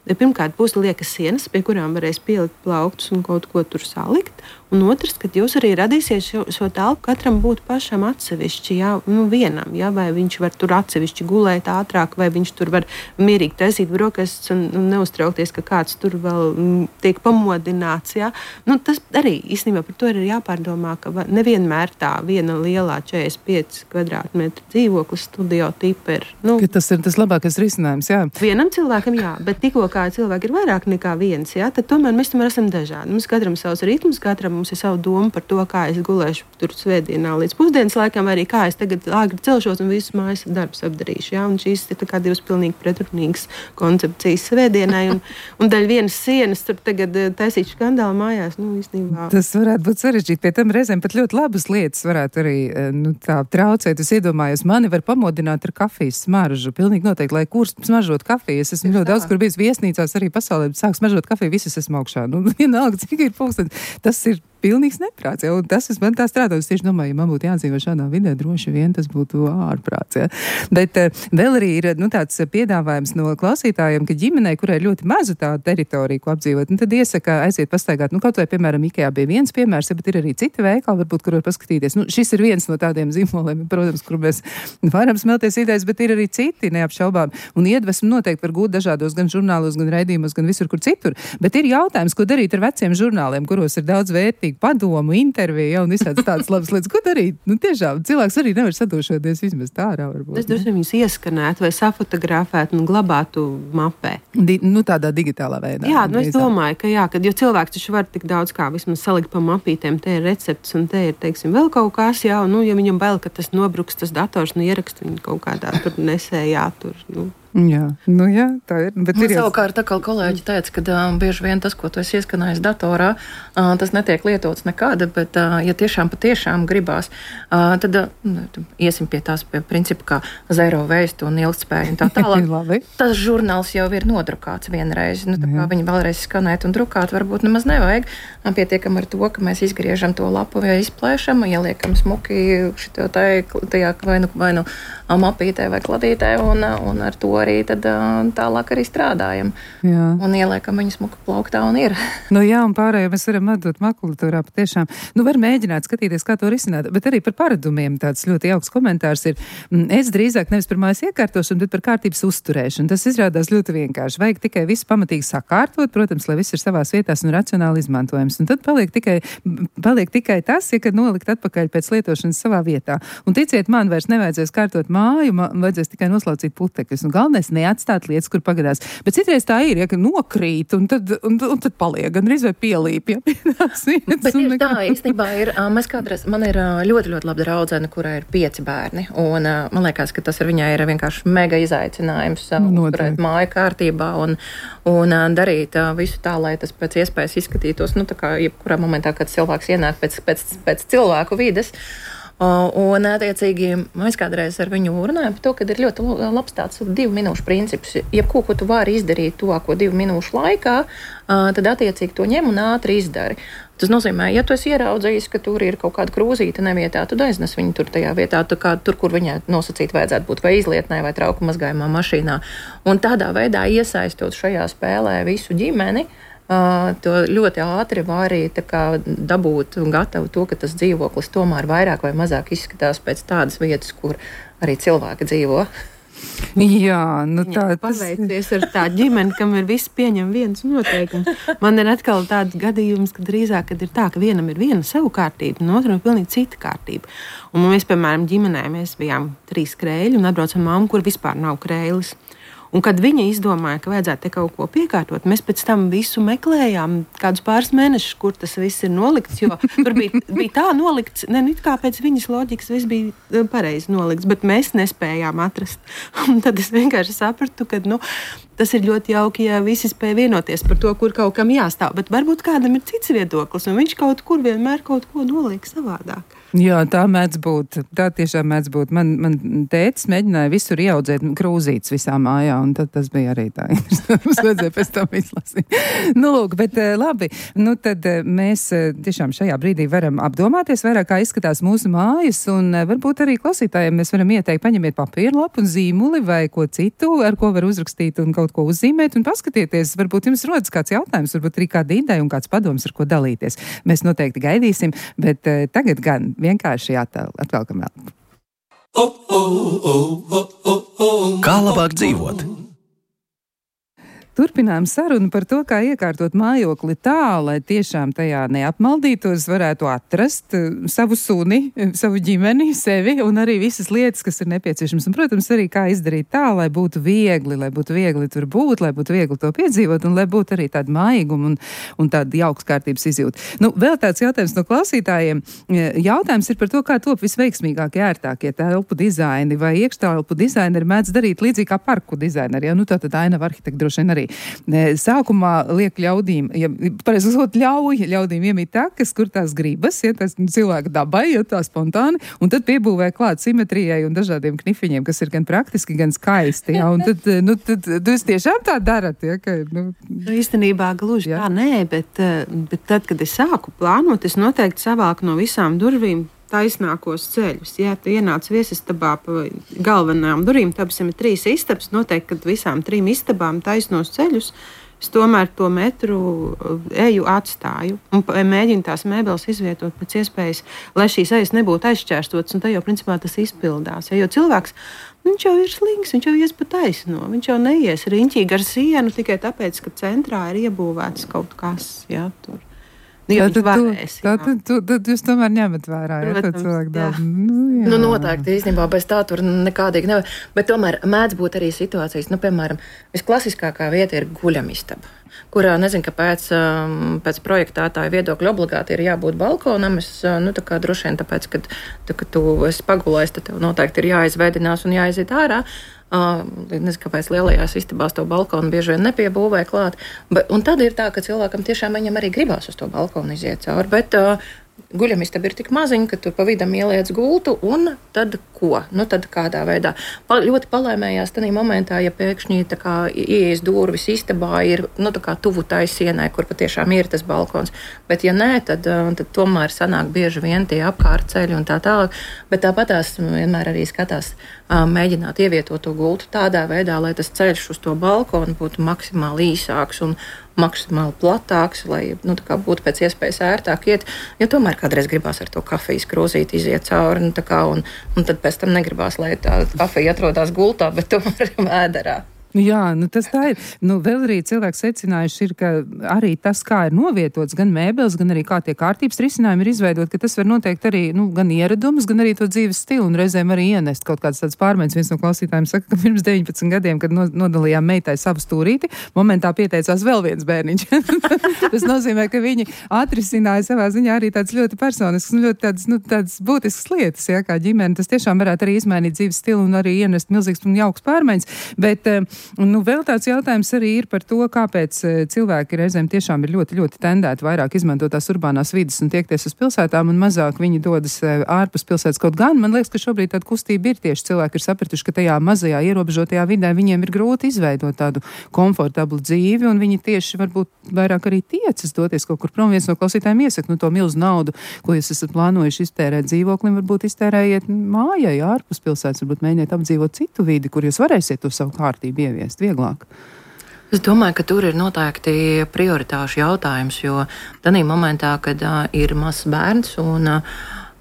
Pirmkārt, būs liekas sienas, pie kurām varēs pielikt plauktus un kaut ko tur salikt. Un otrs, kad jūs arī radīsiet šo, šo telpu, katram būtu pašam atsevišķi, jā, nu vienam, jā, vai viņš var tur atsevišķi gulēt ātrāk, vai viņš tur var mierīgi taisīt brokastis un, un neuztraukties, ka kāds tur vēl m, tiek pamodināts, jā. Nu, tas arī īstenībā par to ir jāpārdomā, ka nevienmēr tā viena lielā četrdesmit pieci kvadrātmetru dzīvoklis studio tipa ir. Nu, tas ir tas labākais risinājums, jā. Vienam cilvēkam, jā, bet tikko kā cilvēki ir vairāk nekā viens, jā, tad tomēr mēs tomēr esam dažādi. Mums katram savs ritms, katram mums ir savu domu par to, kā es gulēšu tur svētdienā līdz pusdienas laikam, vai arī kā es tagad āgri celšos un visus mājas darbus apdarīšu. Jā, un šīs ir tā kā divas pilnīgi pretrunīgas koncepcijas svētdienai, un, un daļ vienas sienas tur tagad taisīt skandālu mājās, nu, īstenībā. Tas varētu būt sarežģīti, pie tam reizēm pat ļoti labas lietas varētu arī, nu, tā traucēt. Es iedomājos, mani var pamodināt ar kafijas smaržu, pilnīgi noteikti, lai kurs smaržot kafiju. Es esmu ļoti daudz, kur bijis viesnīcās arī pasaulē, sāk smaržot kafiju, visas esmu augšā. Nu, vienalga, cik ir pulkstenis. Tas ir pilnīgs neprāts. Ja? Un tas, es man tā strādāju, es tieši domāju, ja man būtu jādzīvo šādā vidē, droši vien tas būtu ārprāts. Ja? Bet uh, vēl arī ir, nu, tāds piedāvājums no klausītājiem, ka ģimenei, kurai ir ļoti maza tā teritorija, ko apdzīvot, nu, tad iesaka aiziet pastaigāt. Nu, kaut vai, piemēram, Ikea bija viens piemērs, ja, bet ir arī citi veikali, varbūt, kur var paskatīties. Nu, šis ir viens no tādiem zīmoliem, protams, kur mēs varam smelties idejas, bet ir arī citi neapšaubām. Un iedvesmu noteikti var gūt dažādos gan žurnālos, gan raidījumos, gan visur, kur citur. Bet ir jautājums, ko darīt ar veciem žurnāliem, kuros ir daudz vērtīgu padomu, interviju, ja, un visāds tādas labas lietas. Ko darīt? Nu, tiešām, cilvēks arī nevar sadošoties vismaz tā ārā, varbūt. Es droši vien viņus ieskanētu vai safotografētu un glabātu mapē. Di, nu, tādā digitālā veidā. Jā, nu, es domāju, ka jā, kad, jo cilvēks taču var tik daudz kā vismaz salikt pa mapītēm, te ir recepts un te ir, teiksim, vēl kaut kas, jā, un, nu, ja viņam bail, ka tas nobruks, tas dators, nu, ierakst viņu kaut kādā tur nesējā, tur, nu. Jā, nu jā, tā ir. Bet Man ir jau... savukārt, tā kā kolēģi teica, ka uh, bieži vien tas, ko tu esi ieskanējis datorā, uh, tas netiek lietots nekāda, bet, uh, ja tiešām patiešām gribās, uh, tad uh, iesim pie tās pie principa kā zero waste un ilgtspēja un tā tālāk. Tas žurnāls jau ir nodrukāts vienreiz. Nu, tā kā viņi vēlreiz skanēt un drukāt, varbūt nemaz nevajag. Pietiekam ar to, ka mēs izgriežam to lapu vai izplēšam, ieliekam smuki šito tajā vai nu, vai nu mapītē vai kladītē un, un ar to arī tad tālāk arī strādājam. Jā. Un ieliekam viņu smuku plauktā un ir. Nu jā, un pārējo mēs varam atdot makulatūrā patiešām. Nu var mēģināt skatīties, kā to risināt, bet arī par paradumiem tāds ļoti jauks komentārs ir. Es drīzāk nevis par mājas iekārtošanu, bet par kārtības uzturēšanu. Tas izrādās ļoti vienkārši. Vajag tikai visu pamatīgi sakārtot, protams, lai viss ir savās vietās un racionāli izmantojams. Un tad paliek tikai, paliek tikai tas, ja kad nolikt atpakaļ pēc lietošanas savā vietā. Un ticiet man, vairs nevajadzēs kārtot māju, man vajadzēs tikai noslaucīt putekļus. Un galvenais neatstāt lietas, kur pagadās. Bet citreiz tā ir, ja ka nokrīt un tad, un, un tad paliek, gan arī vai pielīp, ja tās vietas. Bet ir tā, īstenībā ir, mēs kādreiz, man ir ļoti, ļoti laba draudzene, kurai ir pieci bērni. Un man liekas, ka tas ar viņai ir vienkārši mega izaicinājums uzturēt māju kārtībā un, un darīt visu tā, lai tas pēc iespējas izskatītos, nu tā kā jebkurā momentā, kad cilvēks ienāk pēc, pēc, pēc cilvēku vides. Un, attiecīgi, mēs kādreiz ar viņu runājam par to, ka ir ļoti labs tāds divu minūšu princips. Jebko, ko tu vari izdarīt tuvāko divu minūšu laikā, tad attiecīgi to ņem un ātri izdari. Tas nozīmē, ja tu esi ieraudzījis, ka tur ir kaut kāda krūzīte nevietā, tad aiznes viņu tur tajā vietā, kā, tur, kur viņai nosacīt vajadzētu būt vai izlietnē vai trauku mazgājumā mašīnā. Un tādā veidā iesaistot šajā spēlē visu ģimeni, Uh, to ļoti ātri var arī dabūt un gatavu to, ka tas dzīvoklis tomēr vairāk vai mazāk izskatās pēc tādas vietas, kur arī cilvēki dzīvo. Jā, nu tā tas... Paveicies ar tā ģimeni, kam ir viss pieņem viens noteikums. Man ir atkal tāds gadījums, ka drīzāk, kad ir tā, ka vienam ir viena savu kārtība, un otram ir pilnīgi cita kārtība. Un mēs, piemēram, ģimenē, mēs bijām trīs krēļi un atbraucam mammu, kur vispār nav krēlis. Un kad viņa izdomāja, ka vajadzētu te kaut ko piekārtot, mēs pēc tam visu meklējām, kādus pāris mēnešus, kur tas viss ir nolikts, jo tur bija, bija tā nolikts, ne, nu, kā pēc viņas loģikas viss bija pareizi nolikts, bet mēs nespējām atrast. Un tad es vienkārši sapratu, ka, nu, tas ir ļoti jauki, ja visi spēj vienoties par to, kur kaut kam jāstāv, bet varbūt kādam ir cits viedoklis, un viņš kaut kur vienmēr kaut ko noliek savādāk. Jā, tā mēdz būt. Tā tiešām mēdz būt. Man, man tētis mēģināja visur ieaudzēt krūzītes visā mājā, un tad tas bija arī tā interesanti. Mums vajadzēja pēc tam izlasīt. Nu, lūk, bet labi. Nu, tad mēs tiešām šajā brīdī varam apdomāties vairāk, kā izskatās mūsu mājas, un varbūt arī klausītājiem mēs varam ieteikt paņemiet papīru lapu un zīmuli vai ko citu, ar ko var uzrakstīt un kaut ko uzzīmēt un paskatieties. Varbūt jums rodas kāds jautājums, varbūt arī kāda ideja un kāds padoms, ar ko dalīties. Mēs noteikti gaidīsim, bet tagad gan vienkārši atvelkam elpu. Kā labāk dzīvot? Turpinām sarunu par to, kā iekārtot mājokli tā, lai tiešām tajā neapmaldītos, varētu atrast savu suni, savu ģimeni, sevi un arī visas lietas, kas ir nepieciešams. Un, protams, arī kā izdarīt tā, lai būtu viegli, lai būtu viegli tur būt, lai būtu viegli to piedzīvot un lai būtu arī tāda mājīguma un, un tāda jauks kārtības izjūta. Nu, vēl tāds jautājums no klausītājiem. Jautājums ir par to, kā top visveiksmīgākie, ērtākie telpu dizaini vai iekštelpu dizaineri mēdz darīt līdzīgi kā parku dizaineri. Ja? Nu, tā tad ainava arhitekti droši vien arī. Sākumā liek ļaudīm, ja, pareizi sakot, ļauj ļaudīm iemīt takas, kur tās gribas, ja tas cilvēka dabai, ja tā spontāni, un tad piebūvē klāt simetrijai un dažādiem knifiņiem, kas ir gan praktiski, gan skaisti, ja, un tad, nu, tad, jūs tiešām tā darat, ja, ka, nu... Nu, īstenībā gluži jā. Tā nē, bet, bet tad, kad es sāku plānot, es noteikti savāku no visām durvīm taisnākos ceļus. Jā, tu ienāc viesistabā pa galvenām durvīm, tāpēc ir trīs istabas, noteikti, kad visām trim istabām taisnos ceļus, es tomēr to metru eju atstāju un mēģinu tās mēbeles izvietot pēc iespējas, lai šīs ejas nebūtu aizšķērstotas, un tā jau principā tas izpildās. Ja, jo cilvēks, viņš jau ir slings, viņš jau ies pa taisno, viņš jau neies riņķīgi ar sienu tikai tāpēc, ka centrā ir iebūvēts kaut kas, jā, tur. Jā, tad, varēs, tu, tad, tu, tad jūs tomēr ņemat vērā, ja, protams, cilvēku daudz. Nu, nu, noteikti, īstenībā, bez tā tur nekādīgi nevar. Bet tomēr mēdz būt arī situācijas, nu, piemēram, visklasiskākā vieta ir guļamistaba, kurā, nezinu, kāpēc pēc projektētāja viedokļa obligāti ir jābūt balkonam. Es, nu, tā kā droši vien tāpēc, kad, tā, kad tu esi pagulējis, tad tev noteikti ir jāizveidinās un jāiziet ārā. Uh, nezinu, kāpēc lielajās istabās to balkonu bieži vien nepiebūvē klāt. Bet, un tad ir tā, ka cilvēkam tiešām viņam arī gribās uz to balkonu iziet cauri. Bet uh, guļamistaba ir tik maziņa, ka tur pa vidam ieliec gultu, un tad ko? Nu, tad kādā veidā? Pa, ļoti palaimējās tādā momentā, ja pēkšņi tā kā ieejas durvis istabā ir, nu, tā kā tuvu tai sienai, kur patiešām ir tas balkons. Bet ja nē, tad, tad tomēr sanāk bieži vien tie apkārtceļi un tā tālāk. Bet tāpatās vienmēr arī skatās mēģināt ievietot to gultu tādā veidā, lai tas ceļš uz to balkonu būtu maksimāli īsāks un maksimāli platāks, lai, nu, tā kā būtu pēc iespējas ērtāk iet, jo tomēr kādreiz gribās ar to kafijas krūzīti iziet cauri, nu, tā kā, un, un tad pēc tam negribās, lai tā kafija atrodas gultā, bet tomēr vēderā. Jā, nu tas tā ir. Nu, vēl arī cilvēks secinājuši ir, ka arī tas, kā ir novietots, gan mēbeles, gan arī kā tie kārtības risinājumi ir izveidot, ka tas var noteikt arī, nu, gan ieradumus, gan arī to dzīves stilu un reizēm arī ienest kaut kāds tāds pārmaiņas. Viens no klausītājiem saka, ka pirms deviņpadsmit gadiem, kad nodalījām meitai savu stūrīti, momentā pieteicās vēl viens bērniņš. Tas nozīmē, ka viņi atrisināja savā ziņā arī tāds ļoti personisks un ļoti tāds, nu, tāds būtisks lietas, ja, kā ģimene. Tas tiešām varētu arī izmainīt dzīves stilu un arī ienest milzīgs un jauks pārmaiņas. Bet, un, nu, vēl tāds jautājums arī ir par to, kāpēc cilvēki reizēm tiešām ir ļoti, ļoti tendēti vairāk izmantot tās urbānās vidas un tiekties uz pilsētām un mazāk viņi dodas ārpus pilsētas. Kaut gan, man liekas, ka šobrīd tāda kustība ir tieši cilvēki ir sapratuši, ka tajā mazajā ierobežotajā vidē viņiem ir grūti izveidot tādu komfortablu dzīvi un viņi tieši varbūt vairāk arī tiecas doties kaut kur prom. Viens no klausītājiem iesaka, nu to milzu naudu, ko jūs esat plānojuši iztērēt dzīvoklim, varbūt iztērējiet mājai ārpus pilsētas, varbūt mēģiniet apdzīvot citu vidi, kur jūs varēsiet to savu kārtību ieviest vieglāk. Es domāju, ka tur ir noteikti prioritāšu jautājums, jo tādā momentā, kad uh, ir mazs bērns un, uh,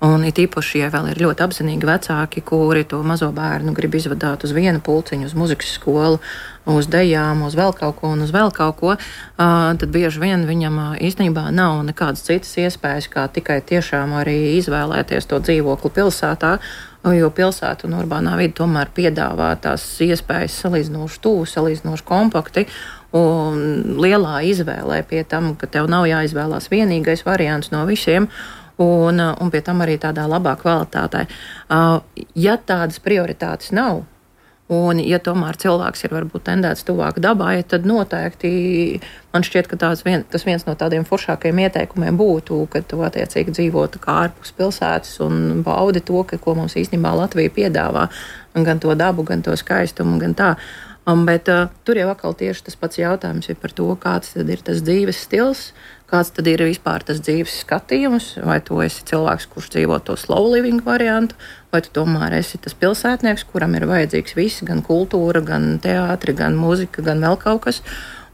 un it īpaši, ja vēl ir ļoti apzinīgi vecāki, kuri to mazo bērnu grib izvadāt uz vienu pulciņu, uz muzikas skolu, uz dejām, uz vēl kaut ko un uz vēl kaut ko, uh, tad bieži vien viņam uh, īstenībā nav nekādas citas iespējas, kā tikai tiešām arī izvēlēties to dzīvokli pilsētā, jo pilsēta un urbānā vide tomēr piedāvā tās iespējas salīdzinoši tuvu, salīdzinoši kompakti un lielā izvēlē pie tam, ka tev nav jāizvēlās vienīgais variants no visiem un, un pie tam arī tādā labā kvalitātē. Uh, ja tādas prioritātes nav, un, ja tomēr cilvēks ir varbūt tendēts tuvāk dabai, tad noteikti man šķiet, ka tās vien, tas viens no tādiem foršākajiem ieteikumiem būtu, ka tu attiecīgi dzīvotu kā ārpus pilsētas un baudi to, ka, ko mums īstenībā Latvija piedāvā, gan to dabu, gan to skaistumu, gan tā. Um, bet uh, tur jau atkal tieši tas pats jautājums ir par to, kāds tad ir tas dzīves stils, kāds tad ir vispār tas dzīves skatījums, vai tu esi cilvēks, kurš dzīvo to slow living variantu, vai tu tomēr esi tas pilsētnieks, kuram ir vajadzīgs viss, gan kultūra, gan teātri, gan mūzika, gan vēl kaut kas,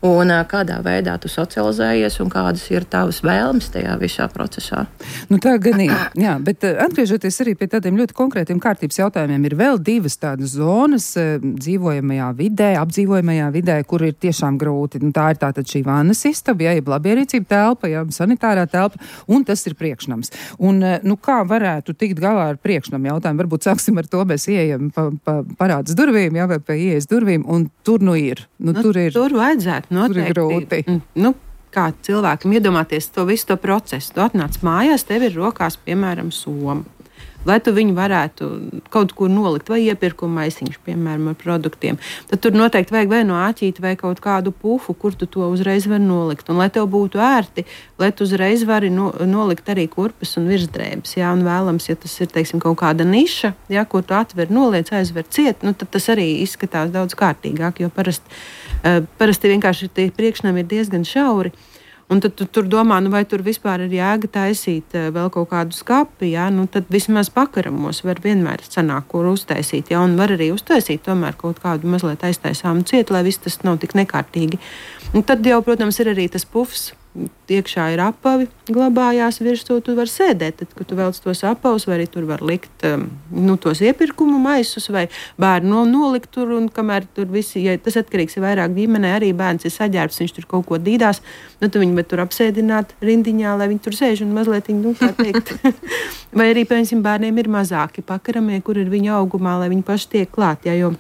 un kādā veidā tu socializējies un kādas ir tavas vēlmes tajā visā procesā. Nu tā gan ir, jā, bet atgriežoties arī pie tādiem ļoti konkrētiem kārtības jautājumiem, ir vēl divas tādas zonas dzīvojamajā vidē, apdzīvojamajā vidē, kur ir tiešām grūti. Nu, tā ir tātad šī vannas istaba, jā, jeb labierīcība telpa, jā, sanitārā telpa, un tas ir priekšnams. Un, nu, kā varētu tikt galā ar priekšnamu jautājumu? Varbūt sāksim ar to, mēs ieejam pa, pa parādas durvīm, jā, vai pa ieejas durvīm, un tur nu ir. Nu, nu, tur ir. Tur vajadzētu. Noteikti, nu, kā cilvēkam iedomāties to visu to procesu. Tu atnāc mājās, tev ir rokās, piemēram, soma. lai tu viņu varētu kaut kur nolikt, vai iepirkuma maisiņš, piemēram, ar produktiem. Tad tur noteikti vajag vai no āķīti, vai kaut kādu pufu, kur tu to uzreiz vari nolikt. Un lai tev būtu ērti, lai tu uzreiz vari no, nolikt arī kurpes un virsdrēbes. Jā, un vēlams, ja tas ir, teiksim, kaut kāda niša, jā, ko tu atver, noliec, aizver ciet, nu, tad tas arī izskatās daudz kārtīgāk, jo parasti, uh, parasti vienkārši tie priekšnami ir diezgan šauri. Un tad tu tur domā, nu, vai tur vispār ir jēga taisīt uh, vēl kaut kādu skapi, jā, nu, tad vismaz pakaramos var vienmēr sanākt, kur uztaisīt, jā, un var arī uztaisīt tomēr kaut kādu mazliet aiztaisāmu cietu, lai viss tas nav tik nekārtīgi. Un tad jau, protams, ir arī tas pufs, iekšā ir apavi, glabājās virsū, tu var sēdēt, tad, kad tu velc tos apavus, vai arī tur var likt um, nu, tos iepirkumu maisus, vai bērnu no, nolikt tur, un kamēr tur visi, ja tas atkarīgs ir vairāk ģimenē, arī bērns ir saģērbs, viņš tur kaut ko dīdās, nu, tu viņu bet tur apsēdināt rindiņā, lai viņi tur sēž un mazliet, nu, kā teikt. Vai arī, piemēram, bērniem ir mazāki pakaramie, kur ir viņa augumā, lai viņi paši tiek klāt, jā, jo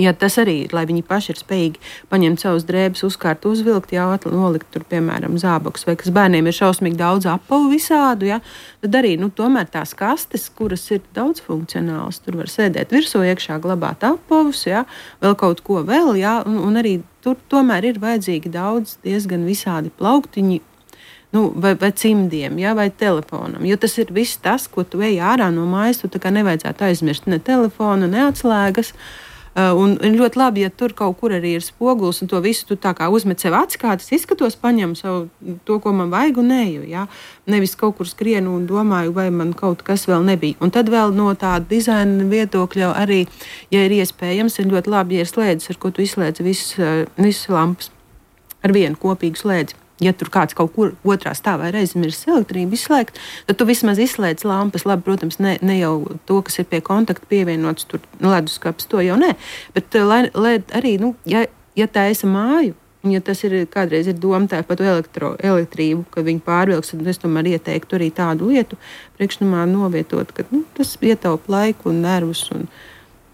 ja tas arī ir, lai viņi paši ir spējīgi paņemt savus drēbes, uzkārt, uzvilkt, jā, nolikt tur, piemēram, zābakus, vai kas bērniem ir šausmīgi daudz apavu visādu, jā, tad arī, nu, tomēr tās kastes, kuras ir daudz funkcionāls, tur var sēdēt virsū, iekšā glabāt apavus, jā, vēl kaut ko vēl, jā, un, un arī tur tomēr ir vajadzīgi daudz diezgan visādi plauktiņi, nu, vai, vai cimdiem, jā, vai telefonam, jo tas ir viss tas, ko tu ej ārā no mājas, tu tā kā nevajadzētu aizmirst ne telefonu, ne atslēgas. Uh, un ļoti labi, ja tur kaut kur arī ir spogulis, un to visu tu tā kā uzmet sev acis, kā tas izskatos, paņem savu to, ko man vajag, un eju, jā. Nevis kaut kur skrienu un domāju, vai man kaut kas vēl nebija. Un tad vēl no tāda dizaina viedokļa arī, ja ir iespējams, ir ļoti labi, ja ir slēdzes, ar ko tu izslēdz visas, visas lampas ar vienu kopīgu slēdzi. Ja tur kāds kaut kur otrā stāvā ir aizmirsis elektrību izslēgt, tad tu vismaz izslēdz lampas. Labi, protams, ne, ne jau to, kas ir pie kontakta pievienots, tur leduskapis, to jau nē. Bet lai, lai arī, nu, ja, ja tā esi māju, un ja tas ir kādreiz ir domāta par to elektro, elektrību, ka viņi pārvilks, tad es tomēr ieteiktu arī tādu lietu priekšnamā novietot, ka nu, tas ietaupa laiku un nervus un,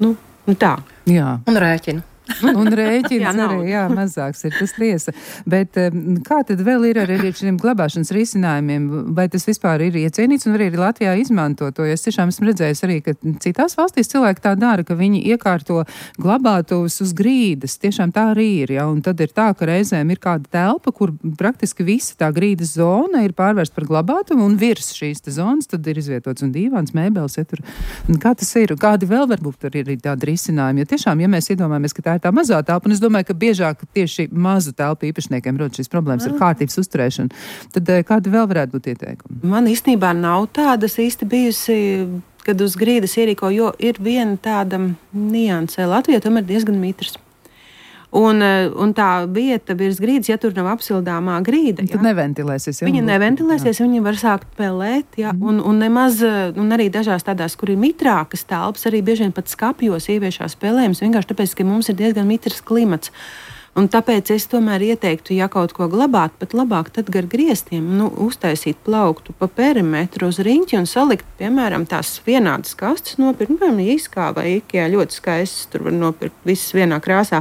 nu, un tā. Jā. Un rēķinu. Un rēķins jā, arī, jā, mazāks ir tas tiesa. Bet kā tad vēl ir ar šiem glabāšanas risinājumiem? Vai tas vispār ir iecienīts un arī Latvijā izmanto to? Es tiešām esmu redzējis arī, ka citās valstīs cilvēki tā dara, ka viņi iekārto glabātuvus uz grīdas. Tiešām tā arī ir, jā. Un tad ir tā, ka reizēm ir kāda telpa, kur praktiski visa tā grīdas zona ir pārvērsta par glabātuvu un virs šīs te zonas tad ir izvietots un dīvāns, mēbeles. Ja tur. Kā tas ir? Kādi vēl varbūt tur ir tādi risinājumi? Jo tiešām, ja mēs iedomājamies, ka tā ir tā mazā telpa, un es domāju, ka biežāk tieši mazu telpu īpašniekiem rodas šīs problēmas ar kārtības uzturēšanu. Tad kādi vēl varētu būt ieteikumi? Man īstenībā nav tādas īsti bijusi, kad uz grīdas ierīko, jo ir viena tāda nianse. Latvijā tomēr diezgan mitrs. Un, un tā vieta virs grīdas, ja tur nav apsildāmā grīda, tad ja, neventilēsies. Ja, viņa neventilēsies, jā. Viņa var sākt pelēt, ja, mm. un, un nemaz, un arī dažās tādās, kur ir mitrākas telpas, arī bieži vien pat skapjos ieviešās pelējums, vienkārši tāpēc, ka mums ir diezgan mitrs klimats. Un tāpēc es tomēr ieteiktu, ja kaut ko glabāt, pat labāk tad gar griestiem, nu, uztaisīt plauktu pa perimetru uz riņķi un salikt, piemēram, tās vienādas kastes nopirkt, nu, piemēram, Iskā vai Ikea ļoti skaistas, tur var nopirkt visas vienā krāsā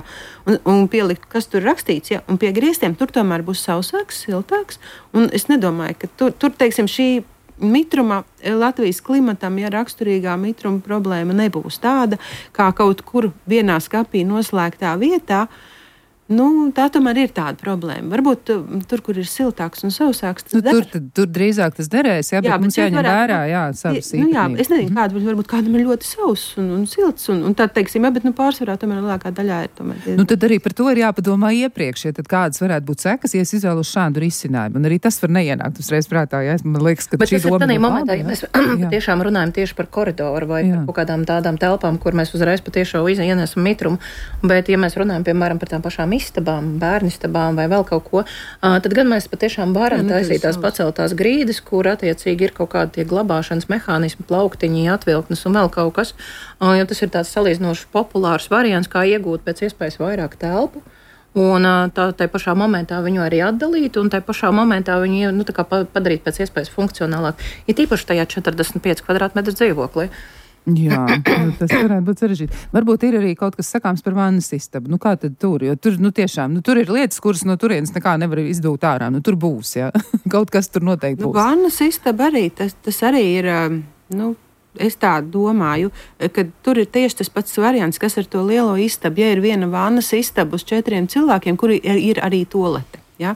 un, un pielikt, kas tur rakstīts, ja, un pie griestiem tur tomēr būs sausāks, siltāks, un es nedomāju, ka tur, tur teiksim, šī mitruma Latvijas klimatam, ja raksturīgā mitruma problēma nebūs tāda, kā kaut kur vienā skapī noslēgtā vietā. Nu, tā tomēr ir tāda problēma. Varbūt tur, kur ir siltāks un sausāks, tas nu, tur, tad, tur drīzāk tas derēs, jā, bet jā, mums jāņem varētu, vērā, jā, savas nu, jā, es nezinu, kāda, varbūt kādam ir ļoti sauss un, un silts, un, un tā, teiksim, jā, bet, nu, pārsvarā tomēr lielākā daļā ir tomēr. Nu, tad arī par to ir jāpadomā iepriekš, ja tad kādas varētu būt sekas, ja es izvēlu šādu risinājumu, un arī tas var neienākt uzreiz prātā, jā, man liekas, ka bet šī doma ir momentā, ja mēs tiešām runājam tieši par koridoru vai jā. Par kaut kādām tādām telpām, kur mēs uzreiz patiešām ienesam mitrumu, bet, ja mēs runājam, piemēram, par tām pašām istabām, bērnistabām vai vēl kaut ko, tad gan mēs patiešām varam taisīt tās paceltās grīdas, kur attiecīgi ir kaut kādi tie glabāšanas mehānismi, plauktiņi, atvilknes un vēl kaut kas, jo tas ir tāds salīdzinoši populārs variants, kā iegūt pēc iespējas vairāk telpu. Un tā, tā pašā momentā viņu arī atdalīt, un tā pašā momentā viņu nu, tā kā padarīt pēc iespējas funkcionālāk. Ir tīpaši tajā četrdesmit pieci kvadrātmetru dzīvoklī. Jā, tas varētu būt sarežģīti. Varbūt ir arī kaut kas sakāms par vannas istabu. Nu, kā tad tur? Jo tur, nu, tiešām, nu, tur ir lietas, kuras no turienes nekā nevar izdūt ārā. Nu, tur būs, jā. Kaut kas tur noteikti būs. Nu, vannas istaba arī, tas, tas arī ir, nu, es tā domāju, ka tur ir tieši tas pats variants, kas ar to lielo istabu. Ja ir viena vannas istaba uz četriem cilvēkiem, kuri ir, ir arī tolete, ja?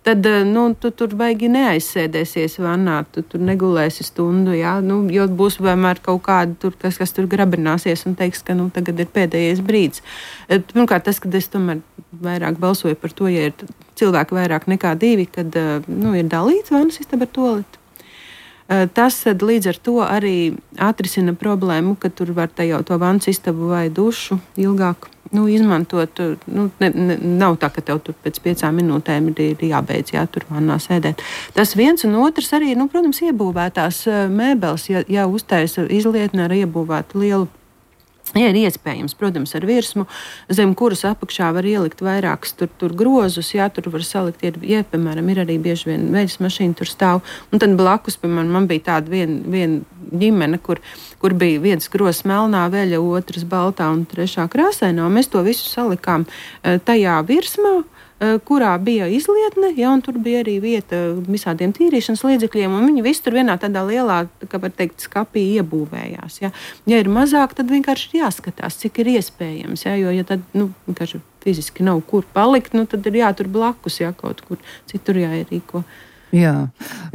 Tad nu, tu tur baigi neaizsēdēsies vannā, tu tur negulēsi stundu, ja? Nu, jo būs vienmēr kaut kāda, tur, kas, kas tur grabināsies un teiks, ka nu, tagad ir pēdējais brīdis. Pirmkārt, tas, kad es tomēr vairāk balsoju par to, ja ir cilvēki vairāk nekā divi, kad nu, ir dalīts vannas istaba ar toleti. Tas līdz ar to arī atrisina problēmu, ka tur var tajā to vannas istabu vai dušu ilgāk nu, izmantot. Nu, ne, ne, nav tā, ka tev tur pēc piecām minūtēm ir jābeidz, jā, tur vannā sēdēt. Tas viens un otrs arī, nu, protams, iebūvētās mēbeles, ja, ja uztaisa izlietni ar iebūvētu lielu. Ja ir iespējams, protams, ar virsmu, zem kuras apakšā var ielikt vairākus tur, tur grozus, jā, tur var salikt, ir, ja, piemēram, ir arī bieži vien veļas mašīna tur stāv, un tad blakus, piemēram, man bija tāda viena vien ģimene, kur, kur bija viens grozs melnā veļa, otrs baltā un trešā krāsainā, un mēs to visu salikām tajā virsmā, kurā bija izlietne, ja, un tur bija arī vieta visādiem tīrīšanas līdzekļiem, un viņi visi tur vienā tādā lielā, kā var teikt, skapī iebūvējās. Ja, ja ir mazāk, tad vienkārši ir jāskatās, cik ir iespējams, ja, jo, ja tad, nu, vienkārši fiziski nav kur palikt, nu, tad ir jātur blakus, ja, kaut kur citur jāierīko. Jā,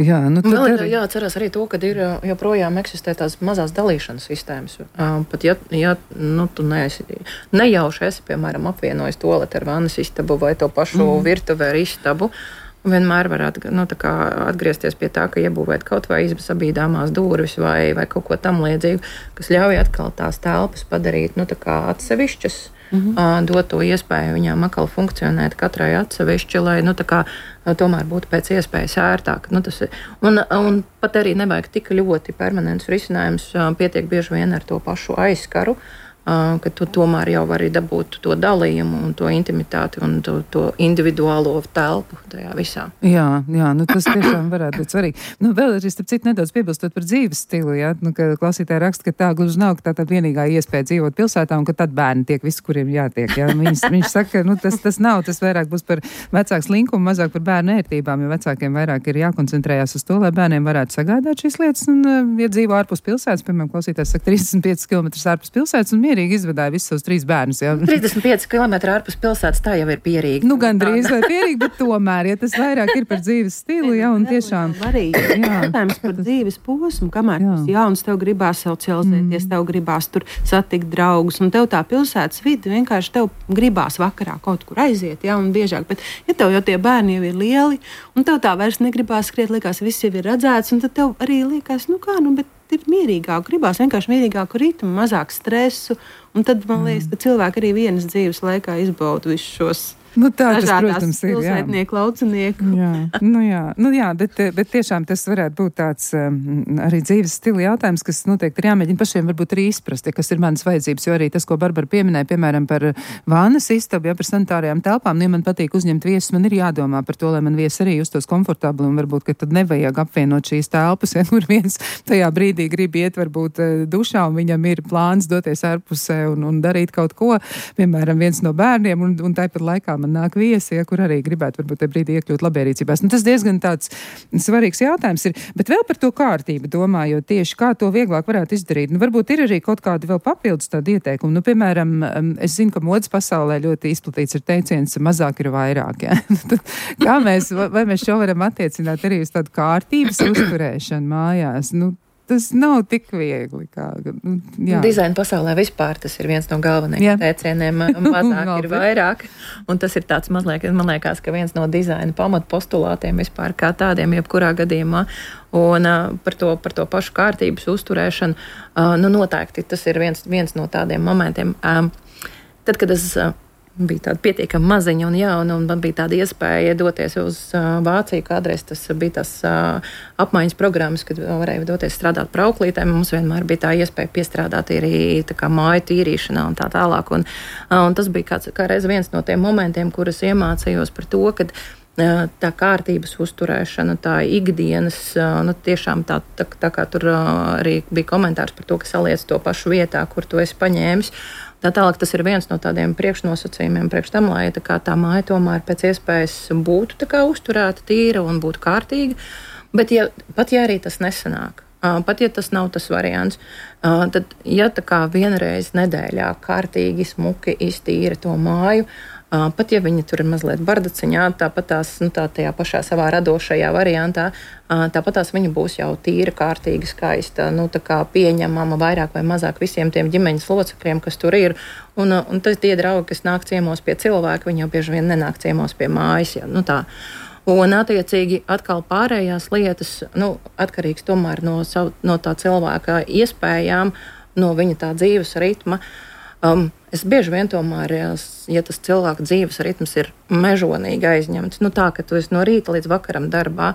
jā, nu tad vēl ir arī jāatcerās arī to, ka ir joprojām eksistē tās mazās dalīšanas sistēmas. Pat ja, ja nu, tu neesi, nejauši esi, piemēram, apvienojis toleti ar vannas istabu vai to pašu mm. virtuvi ar istabu, vienmēr var atg- nu, tā kā atgriezties pie tā, ka iebūvēt kaut vai izbas abīdāmās durvis vai, vai kaut ko tam līdzīgu, kas ļauj atkal tās telpas padarīt nu, tā kā atsevišķas. Mm-hmm. Dot to iespēju viņām atkal funkcionēt katrai atsevišķi, lai nu, tā kā, tomēr būtu pēc iespējas ērtāk. Nu, tas, un, un pat arī nevajag tik ļoti permanents risinājums, pietiek bieži vien ar to pašu aizskaru, ka tu tomēr jau vari dabūt to dalījumu un to intimitāti un to, to individuālo telpu tajā visā. Jā, jā, nu tas tiešām varētu būt svarīgi. Nu, vēl arī, starp citu, nedaudz piebilstot par dzīves stilu, jā, nu, ka klausītāji raksta, ka tā gluži nav, ka tā tad vienīgā iespēja dzīvot pilsētā un ka tad bērni tiek visi, kuriem jātiek, jā. Viņš, viņš saka, ka nu, tas, tas nav, tas vairāk būs par vecāku slinkumu, mazāk par bērnu ērtībām, jo vecākiem vairāk ir jākoncentrējās uz to, lai bērniem varētu sagādāt šīs lietas un, ja dzīvo ārpus pilsētas, piemēram, klausītājs saka trīsdesmit pieci kilometri ārpus pilsētas un mierīgi izvadāja visus savus trīs bērnus. Jā. trīsdesmit pieci kilometri ārpus pilsētas tā jau ir pierīgi. Nu, gan drīz vai pierīgi, bet tomēr, ja tas vairāk ir par dzīves stilu, jā, un tiešām. Arī jautājums par dzīves posmu, kamēr tas jauns, tev gribās socializēties, mm. tev gribās tur satikt draugus, un tev tā pilsētas vide vienkārši tev gribās vakarā kaut kur aiziet, jā, un biežāk, bet ja tev jau tie bērni jau ir lieli, un tev tā vairs negribās skriet, likās, viss jau ir redzēts, un tad tev arī likās, nu kā, nu, bet ir mierīgāk, gribās vienkārši mierīgāku ritmu, mazāk stresu, un tad man liekas, ka cilvēki arī vienas dzīves laikā izbauda visus šos nu, tā, tas, protams, ir, pilsētnieku, laucinieku. Jā, nu jā, nu jā bet, bet tiešām tas varētu būt tāds um, arī dzīves stila jautājums, kas noteikti ir jāmēģina pašiem varbūt arī izprast, ja, kas ir manas vajadzības, jo arī tas, ko Barbara pieminēja, piemēram, par vānas istabu, ja par sanitārajām telpām, nu, ja man patīk uzņemt viesus, man ir jādomā par to, lai man viesi arī justos komfortabli, un varbūt, ka tad nevajag apvienot šīs telpas, ja, kur viens tajā brīdī grib iet varbūt dušā, un viņam ir plāns doties ārpusē un, un darīt kaut ko, piemēram, viens no bērniem, un, un tāpat laikā man nāk viesi, ja, kur arī gribētu varbūt tajā brīdī iekļūt labierīcībās. Nu, tas diezgan tāds svarīgs jautājums ir, bet vēl par to kārtību domājot tieši, kā to vieglāk varētu izdarīt. Nu, varbūt ir arī kaut kādi vēl papildus tādi ieteikumi. Nu, piemēram, es zinu, ka modes pasaulē ļoti izplatīts ir teiciens, mazāk ir vairāk. Ja? Kā mēs, vai mēs šo varam attiecināt arī uz tādu kārtības uzturēšanu mājās? Nu, tas nav tik viegli. Kā, nu, dizaina pasaulē vispār tas ir viens no galvenajiem teicieniem. Mazāk ir vairāk. Un tas ir tāds mazliet, man liekas, ka viens no dizaina pamatpostulātiem vispār kā tādiem, jebkurā gadījumā. Un uh, par, to, par to pašu kārtības uzturēšanu, uh, nu noteikti tas ir viens, viens no tādiem momentiem. Um, tad, kad es uh, bija tāda pietiekama maziņa un jauna, un man bija tāda iespēja doties uz uh, Vāciju. Kādreiz tas bija tas uh, apmaiņas programmas, kad varēja doties strādāt par auklītēm. Mums vienmēr bija tā iespēja piestrādāt arī tā kā māju tīrīšanā un tā tālāk. Un, uh, un tas bija kāds, kā reiz viens no tiem momentiem, kurus iemācījos par to, kad uh, tā kārtības uzturēšana, tā ikdienas, uh, nu tiešām tā, tā, tā kā tur uh, arī bija komentārs par to, ka saliec to pašu vietā, kur tu esi paņēmis. Tā tālāk tas ir viens no tādiem priekšnosacījumiem priekš tam, lai tā, kā tā māja tomēr pēc iespējas būtu tā kā uzturēta, tīra un būtu kārtīga. Bet ja, pat ja arī tas nesanāk, pat ja tas nav tas variants. Tad, ja tā kā vienreiz nedēļā kārtīgi smuki iztīra to māju, pat ja viņa tur ir mazliet bardaciņā, tāpat tās, nu, tā tajā pašā savā radošajā variantā, tāpat tās viņa būs jau tīra, kārtīga, skaista, nu, tā kā pieņemama vairāk vai mazāk visiem tiem ģimeņas locekļiem, kas tur ir. Un, un tas tie draugi, kas nāk ciemos pie cilvēka, viņi jau bieži vien nenāk ciemos pie mājas. Ja, nu, tā. Un, attiecīgi, atkal pārējās lietas, nu, atkarīgs tomēr no, savu, no tā cilvēka iespējām, no viņa tā dzīves ritma. Um, es bieži vien tomēr, ja tas cilvēka dzīves ritms ir mežonīgi aizņemts, nu tā, ka tu esi no rīta līdz vakaram darbā,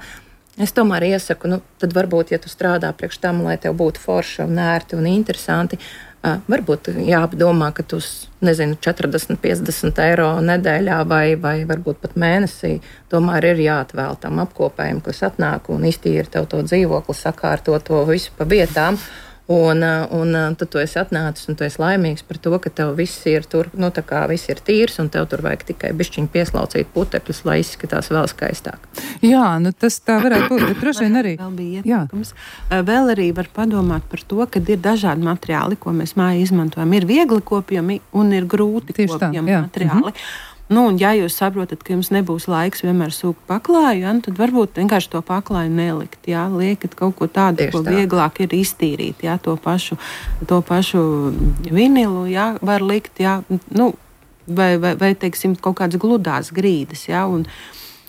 es tomēr iesaku, nu, tad varbūt, ja tu strādā priekš tam, lai tev būtu forši un ērti un interesanti, uh, varbūt jāapdomā, ka tu, nezinu, četrdesmit, piecdesmit eiro nedēļā vai, vai varbūt pat mēnesī, tomēr ir jāatvēl tam apkopējiem, kas atnāk un iztīra tev to dzīvokli, sakārto to visu pa vietām. Un, un tad tu esi atnācis un tu esi laimīgs par to, ka tev viss ir tur, nu tā kā viss ir tīrs un tev tur vajag tikai bišķiņu pieslaucīt putekļus, lai izskatās vēl skaistāk. Jā, nu tas tā varētu būt, bet droši vien arī. Vēl bija ieteikums. Vēl arī var padomāt par to, ka ir dažādi materiāli, ko mēs mājā izmantojam. Ir viegli kopjami un ir grūti Tieši kopjami tā, materiāli. Mhm. Nu, un ja jūs saprotat, ka jums nebūs laiks vienmēr sūkt paklāju, ja, tad varbūt vienkārši to paklāju nelikt. Ja, liekat kaut ko tādu, Tieši ko tā. Vieglāk ir iztīrīt. Ja, to, pašu, to pašu vinilu ja, var likt, ja, nu, vai, vai, vai teiksim, kaut kādas gludās grīdas. Ja, un,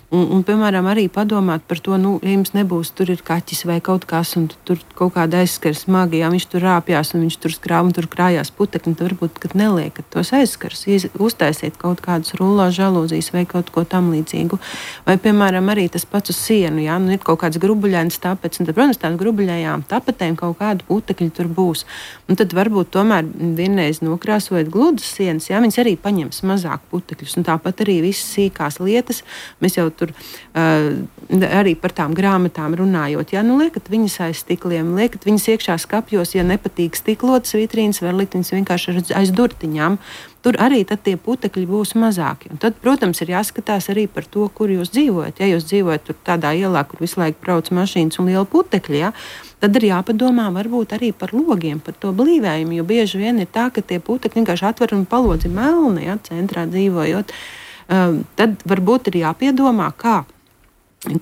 Un, un, piemēram, arī padomāt par to, nu, ja jums nebūs, tur ir kaķis vai kaut kas, un tur kaut kāda aizskars smagi, ja viņš tur rāpjās un viņš tur skrāv un tur krājās putekļi, tad varbūt, kad neliekat tos aizskars, uztaisiet kaut kādus rullā žalūzijas vai kaut ko tam līdzīgu. Vai, piemēram, arī tas pats uz sienu, ja, nu, ir kaut kāds grubuļains tapets, un tad, protams, tās grubuļajām tapetēm kaut kādu putekļi tur būs. Un tad varbūt tomēr vienreiz nokrāsojot gludas sienas, ja, viņas arī paņems mazāk putekļus, un tāpat arī visas sīkās lietas, mēs jau tur uh, arī par tām grāmatām runājot. Ja, nu, liekat viņas aiz stikliem, liekat viņas iekšā skapjos, ja nepatīk stiklotas vitrīnas, var likt viņas vienkārši aiz durtiņām. Tur arī tad tie putekļi būs mazāki. Un tad, protams, ir jāskatās arī par to, kur jūs dzīvojat. Ja jūs dzīvojat tur tādā ielā, kur visu laiku brauc mašīnas un liela putekļi, ja, tad ir jāpadomā varbūt arī par logiem, par to blīvējumu, jo bieži vien ir tā, ka tie putekļi vienkārši atver un palodzi melni, ja, centrā dzīvojot. Uh, tad varbūt ir jāpiedomā, kā,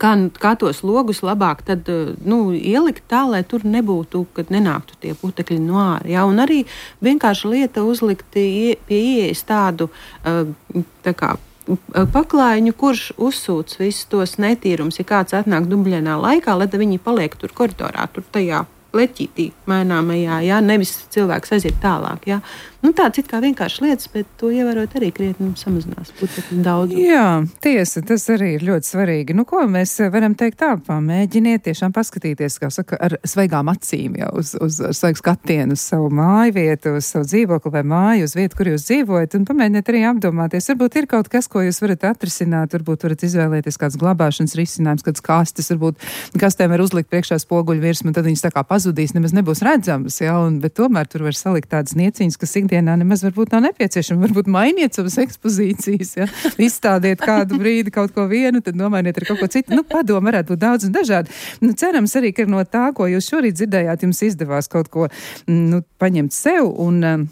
kā, kā tos logus labāk tad, nu, ielikt tā, lai tur nebūtu, kad nenāktu tie putekļi no ārā. Ja? Un arī vienkārši lieta uzlikt pie ieejas tādu uh, tā kā paklājiņu, kurš uzsūc visus tos netīrums, ja kāds atnāk dubļainā laikā, lai viņi paliek tur koridorā, tur tajā leķītī maināmajā, ja? Nevis cilvēks aiziet tālāk. Ja? Nu, tāds it kā vienkārši lietas, bet to ievērot arī krietni samazinās putekļu daudzumu. Jā, tiesa, tas arī ir ļoti svarīgi. Nu, ko mēs varam teikt tā, pamēģiniet tiešām paskatīties, kā saka, ar svaigām acīm jau uz, uz, uz svaigu skatienu, uz savu māju vietu, uz savu dzīvokli vai māju, uz vietu, kur jūs dzīvojat, un pamēģiniet arī apdomāties. Varbūt ir kaut kas, ko jūs varat atrisināt, varbūt varat izvēlēties kāds glabāšanas risinājums, kāds kastes, varbūt kastēm var uzlikt priekšā spoguļu virsmu, tad viņas tā kā pazudīs, nemaz nebūs redzamas, ja, un, bet tomēr tur var salikt tādas nieciņas, kas ikdienā nemaz varbūt nav nepieciešama. Varbūt mainiet savas ekspozīcijas, ja? Izstādiet kādu brīdi kaut ko vienu, tad nomainiet ar kaut ko citu. Nu, padomu varētu būt daudz un dažādi. Nu, cerams arī, ka no tā, ko jūs šorīt dzirdējāt, jums izdevās kaut ko, nu, paņemt sev un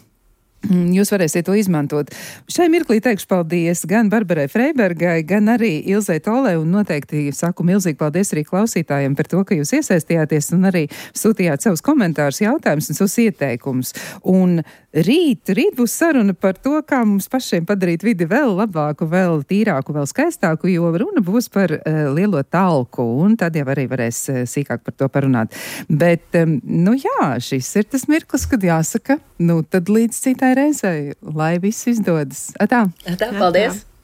jūs varēsiet to izmantot. Šai mirklī teikšu paldies gan Barbarai Freibergai, gan arī Ilzei Tolē, un noteikti saku milzīgi paldies arī klausītājiem par to, ka jūs iesaistījāties un arī sūtījāt savus komentārus, jautājumus un savus ieteikumus. Un rīt, rīt būs saruna par to, kā mums pašiem padarīt vidi vēl labāku, vēl tīrāku, vēl skaistāku, jo runa būs par uh, lielo talku, un tad jau arī varēs uh, sīkāk par to parunāt. Bet, um, nu jā, šis ir tas mirklis, kad jāsaka, nu tad līdz citai reizei, lai viss izdodas. Atā. Atā, paldies! Atā.